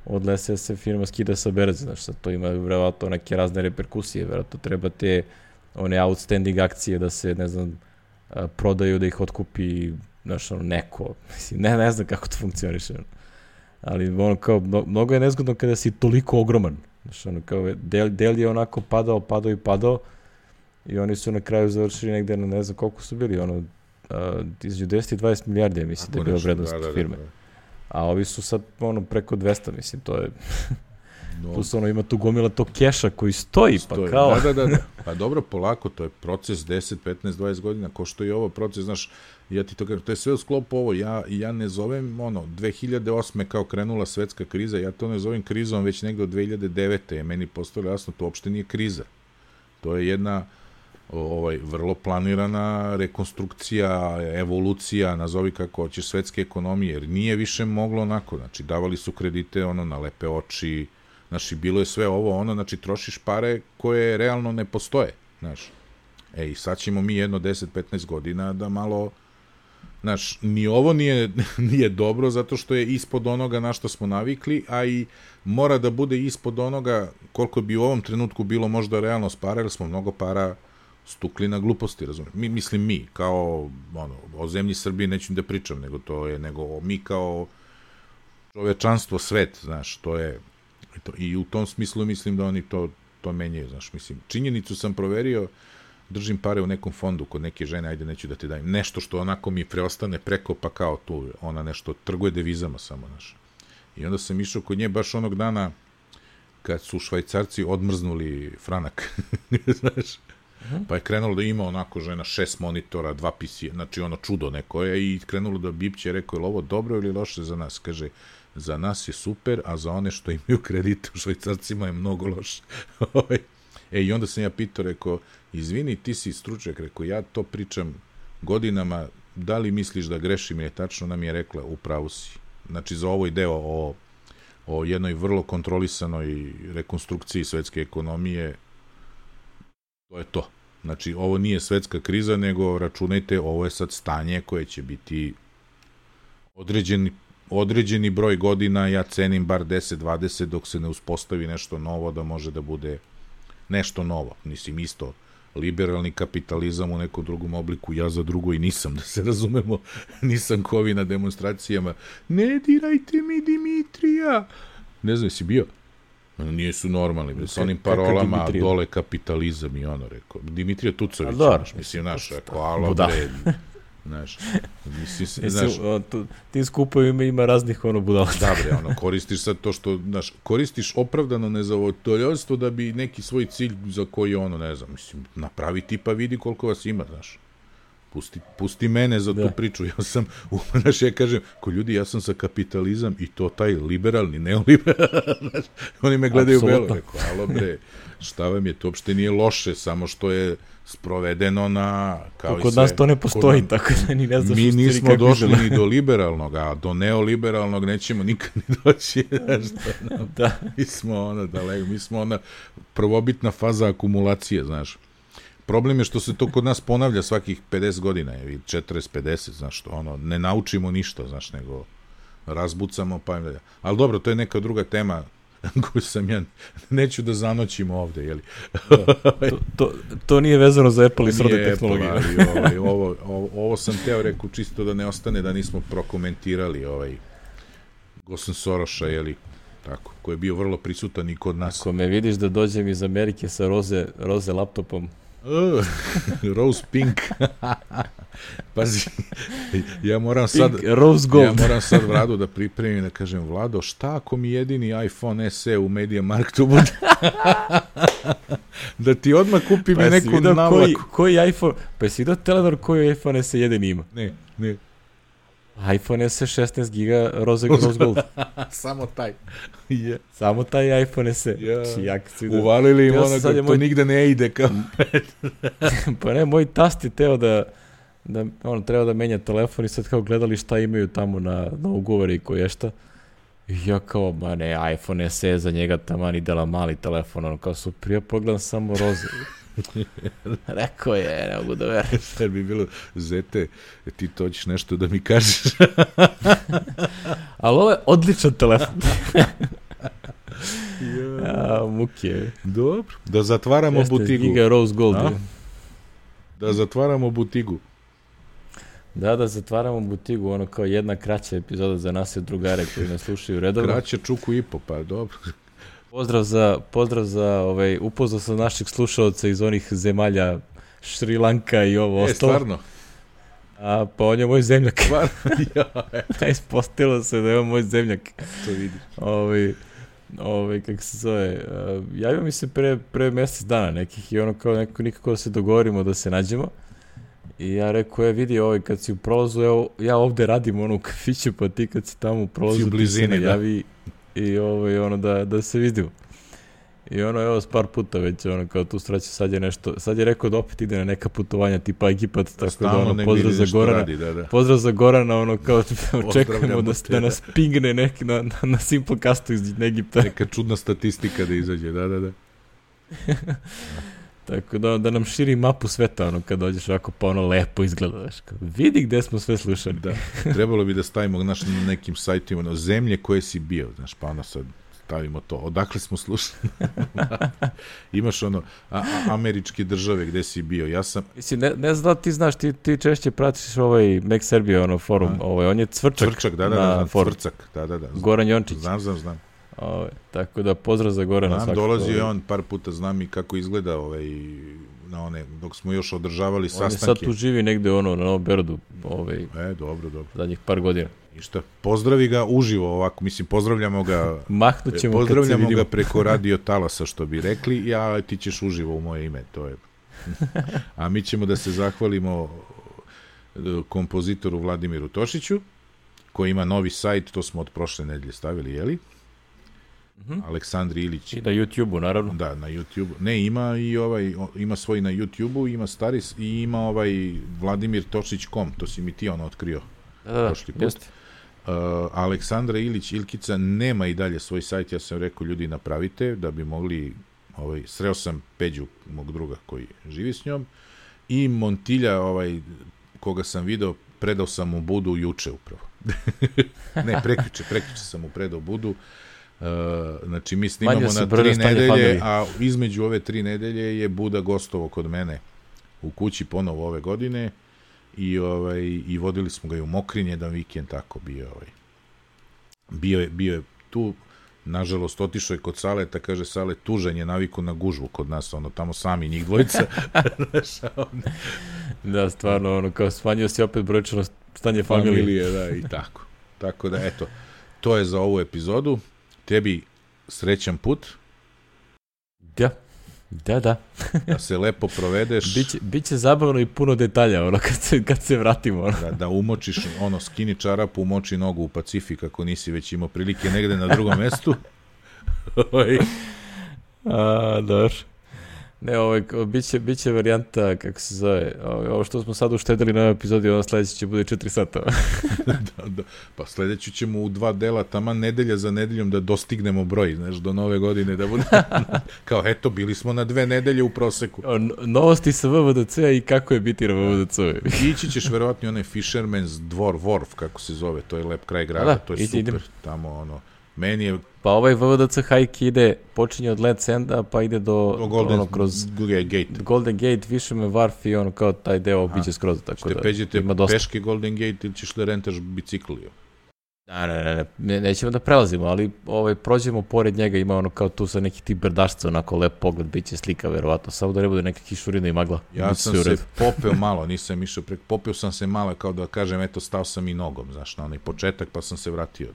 odlese da se firma skida sa berze, znači to ima verovatno neke razne reperkusije, verovatno treba te outstanding akcije da se, ne znam, prodaju, da ih otkupi, znaš, neko, mislim, ne znam kako to funkcioniše, ali mnogo je nezgodno kada si toliko ogroman. Znači, Dell je padao i oni su na kraju završili negde na ne znam koliko su bili, između 10 i 20 milijardi, mislim da je bila vrednost firme. A ovi su sad preko 200, mislim, to je... Plus ima tu gomila tog keša koji stoji. Pa kao... Da. Pa dobro, polako, to je proces 10, 15, 20 godina, ko što je ovo proces, znaš, ja ti to kažem, to je sve u sklopu ovo, ja ne zovem, 2008. kao krenula svetska kriza, ja to ne zovem krizom već negde od 2009. je meni postalo jasno, to uopšte nije kriza. To je jedna vrlo planirana rekonstrukcija, evolucija, nazovi kako hoćeš, svetske ekonomije, jer nije više moglo onako, znači davali su kredite na lepe oči, znači bilo je sve ovo, znači trošiš pare koje realno ne postoje, znaš. I sad ćemo mi jedno 10-15 godina da malo, znaš, ni ovo nije dobro zato što je ispod onoga na što smo navikli, a i mora da bude ispod onoga koliko bi u ovom trenutku bilo možda realno para, jer smo mnogo para stukli na gluposti, razumijem. Mi, kao, o zemlji Srbije neću da pričam, nego mi kao čovečanstvo, svet, znaš, to je, i u tom smislu mislim da oni to menjaju, znaš, mislim, činjenicu sam proverio, držim pare u nekom fondu kod neke žene, ajde neću da ti dajem, nešto što onako mi preostane preko, pa kao tu, ona nešto trguje devizama samo, znaš. I onda sam išao kod nje baš onog dana kad su Švajcarci odmrznuli franak, znaš. Pa je krenulo da ima onako žena 6 monitora, 2 PC, znači čudo neko je, i krenulo da bipće, rekao, je li ovo dobro ili loše za nas? Kaže, za nas je super, a za one što imaju kredite u Švajcarcima je mnogo loše. I onda sam ja pitao, rekao, izvini, ti si stručnjak, rekao, ja to pričam godinama, da li misliš da grešim, je tačno, nam je rekla, upravo si. Znači, za ovo deo o jednoj vrlo kontrolisanoj rekonstrukciji svetske ekonomije, to je to. Znači, ovo nije svetska kriza, nego računajte, ovo je sad stanje koje će biti određeni broj godina, ja cenim bar 10-20, dok se ne uspostavi nešto novo, da može da bude nešto novo. Mislim, isto, liberalni kapitalizam u nekom drugom obliku, ja za drugo i nisam, da se razumemo, nisam ko ovi na demonstracijama, ne dirajte mi Dimitrija! Ne znam, jesi bio? Nisu normalni, sa onim parolama, dole kapitalizam i ono, rekao. Dimitrija Tucović, mislim, naš, rekao, alo bre, znaš, mislim, znaš. Tim skupovima ima raznih budala. Da bre, koristiš sad to što, znaš, koristiš opravdano nezadovoljstvo da bi neki svoj cilj za koji ne znam, mislim, napravi ti pa vidi koliko vas ima, znaš. Pusti mene za tu priču, ja sam, znaš, ja kažem, ko ljudi, ja sam sa kapitalizam i to taj liberalni, neoliberalni, znaš, oni me gledaju belo, rekao, alo bre, šta vam je, to uopšte nije loše, samo što je sprovedeno na, kao i sve. Kod nas to ne postoji, tako da ni ne znaš mi nismo došli ni do liberalnog, a do neoliberalnog nećemo nikad ni doći, znaš, da. Mi smo ona prvobitna faza akumulacije, znaš. Problem je što se to kod nas ponavlja svakih 50 godina, ili 40-50, znaš, što ne naučimo ništa, znaš, nego razbucamo, pa... Ali dobro, to je neka druga tema koju sam ja... Neću da zanoćimo ovde, jeli? To nije vezano za Apple i srodne tehnologije. Ovo sam teo reku čisto da ne ostane, da nismo prokomentirali Gosan Soroša, jeli? Tako, koji je bio vrlo prisutan i kod nas. Ako me vidiš da dođem iz Amerike sa roze laptopom, Rose Pink. Pazi, ja moram sad Vladu da pripremim, da kažem, Vlado, šta ako mi jedini iPhone SE u Media Marktu bude? Da ti odmah kupim neku navlaku. Koji iPhone? Pa jesi vidio Telenor koji iPhone SE jedini ima? Ne. iPhone SE 16 giga Rose Gold. Samo taj. Samo taj iPhone SE. Uvalili im to nigde ne ide kao. Pa ne, moj tast je teo da treba da menja telefon i sad kao gledali šta imaju tamo na ugovori i koje šta. I ja kao, ma ne, iPhone SE za njega taman idela mali telefon, kao su prije pogledam samo Roze. Rekao je, ne mogu da verujem. Sad bi bilo, Zete, ti to ćeš nešto da mi kažeš. Ali ovo je odličan telefon. Muke. Dobro, da zatvaramo butigu. Giga Rose Gold. Da zatvaramo butigu. Da zatvaramo butigu, kao jedna kraća epizoda za nas i drugare koji nas slušaju redovno. Kraća čuku i po, pa dobro. Pozdrav za upoznao sam naših slušalca iz onih zemalja Šri Lanka i ovo ostalo. Stvarno? Pa on je moj zemljak. Ispostavilo se da je on moj zemljak. To vidiš. Kako se zove, javio mi se pre mjesec dana nekih i kao nikako da se dogovorimo da se nađemo. I ja rekao, vidi, kad si u prolazu, ja ovde radim u kafiću, pa ti kad si tamo u prolazu, ti se najavi i da se vidimo. I evo s par puta već, kao tu straće, sad je rekao da opet ide na neka putovanja tipa Egipat, tako da pozdrav za Gorana, pozdrav za Gorana, kao očekujemo da nas pingne neki na Simplecastu iz Egipta. Neka čudna statistika da izađe, da. Tako da nam širi mapu sveta, kad dođeš ovako, pa lepo izgleda, vidi gde smo sve slušali. Da, trebalo bi da stavimo na nekim sajtima, zemlje koje si bio, znaš, pa sad stavimo to, odakle smo slušali. Imaš američke države gde si bio, ja sam... Mislim, ne znam da ti znaš, ti češće pratiš Mac Serbia, forum, on je Cvrčak da, Cvrčak, da. Goran Jončić. Znam. Tako da pozdrav za Gorana. Dolazio je on par puta, znam i kako izgleda dok smo još održavali sastanke. On je sad tu živi negde na Novom Berodu dobro. Zadnjih par godina. Ništa, pozdravi ga uživo ovako, mislim, pozdravljamo ga pozdravljamo ga preko radio talasa, što bi rekli, ti ćeš uživo u moje ime, to je. A mi ćemo da se zahvalimo kompozitoru Vladimiru Tošiću, koji ima novi sajt, to smo od prošle nedelje stavili, jeli? Aleksandri Ilić. I na YouTube-u, naravno. Da, na YouTube-u. Ne, ima i ima svoj na YouTube-u, ima Staris i ima vladimirtošić.com, to si mi ti otkrio prošli put. Jeste. Aleksandra Ilić Ilkica nema i dalje svoj sajt, ja sam rekao, ljudi, napravite, da bi mogli sreo sam Peđu, mog druga koji živi s njom, i Montilja, koga sam video, predao sam mu budu juče upravo. Ne, prekjuče sam mu predao budu. Znači, mi snimamo na 3 nedelje, a između ove 3 nedelje je Buda gostovo kod mene u kući ponovo ove godine i vodili smo ga i u Mokrin jedan vikend, tako bio je tu. Nažalost, otišao je kod Saleta, kaže Salet, tužan je, naviku na gužvu kod nas, tamo sami njih dvojica. Da, stvarno, kao smanjio si opet brojčano stanje familije. Da, i tako. Tako da, eto, to je za ovu epizodu. Tebi srećan put. Da. Da se lepo provedeš. Biće zabavno i puno detalja, kad se vratimo. Da umočiš, skini čarapu, umoči nogu u Pacifik, ako nisi već imao prilike negde na drugom mestu. Dobro. Ne, biće varijanta, kako se zove, ovo što smo sad uštedili na ovoj epizodi, ono sledeće će bude 4 sata. Da. Pa sledeći ćemo u 2 dela, taman nedelja za nedeljom da dostignemo broj, znaš, do nove godine da bude. Kao, eto, bili smo na 2 nedelje u proseku. Novosti sa VVDC-a i kako je biti na VVDC-u. Ići ćeš verovatno onaj Fisherman's Dvor, Wharf, kako se zove, to je lep kraj grada, to je super. Idem. Tamo, meni je... Pa ovaj VVDC hike počinje od Let's Enda, pa ide do kroz Golden Gate, Fisherman Wharf i kao taj deo obiđe skroz. Ćete peđete peške Golden Gate ili ćeš da rentaš bicikl? Ne, nećemo da prelazimo, ali prođemo pored njega, ima kao tu sa nekih tih brdašca, onako lep pogled, bit će slika verovatno, samo da ne bude neka kišurina i magla. Ja sam se popeo malo, nisam išao popeo sam se malo, kao da kažem, eto, stao sam i nogom, znaš, na onaj početak, pa sam se vratio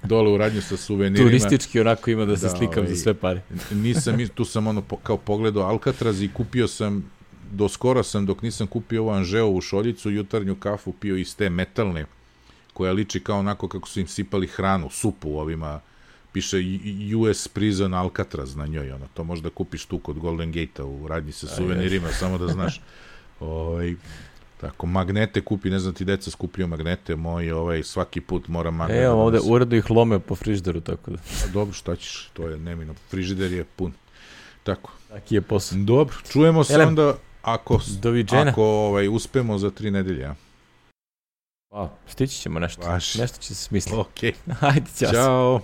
dole u radnju sa suvenirima. Turistički onako ima da se slikam za sve pare. Tu sam kao pogledao Alcatraz i kupio sam, doskora sam, dok nisam kupio ovu Anžeovu šoljicu, jutarnju kafu pio iz te metalne, koja liči kao onako kako su im sipali hranu, supu ovima, piše US Prison Alcatraz na njoj, to možda kupiš tu kod Golden Gate-a u radnji sa suvenirima, samo da znaš. Tako, magnete kupi, ne znam ti deca skupljaju magnete, svaki put moram magnete. Evo ovde uredno ih lome po frižideru, tako da. Dobro, šta ćeš, to je nemino, frižider je pun. Tako. Taki je posao. Dobro, čujemo se onda ako uspemo za 3 nedelje, a? Stići ćemo nešto. Nešto će se smisliti. Ok. Ajde, ćao.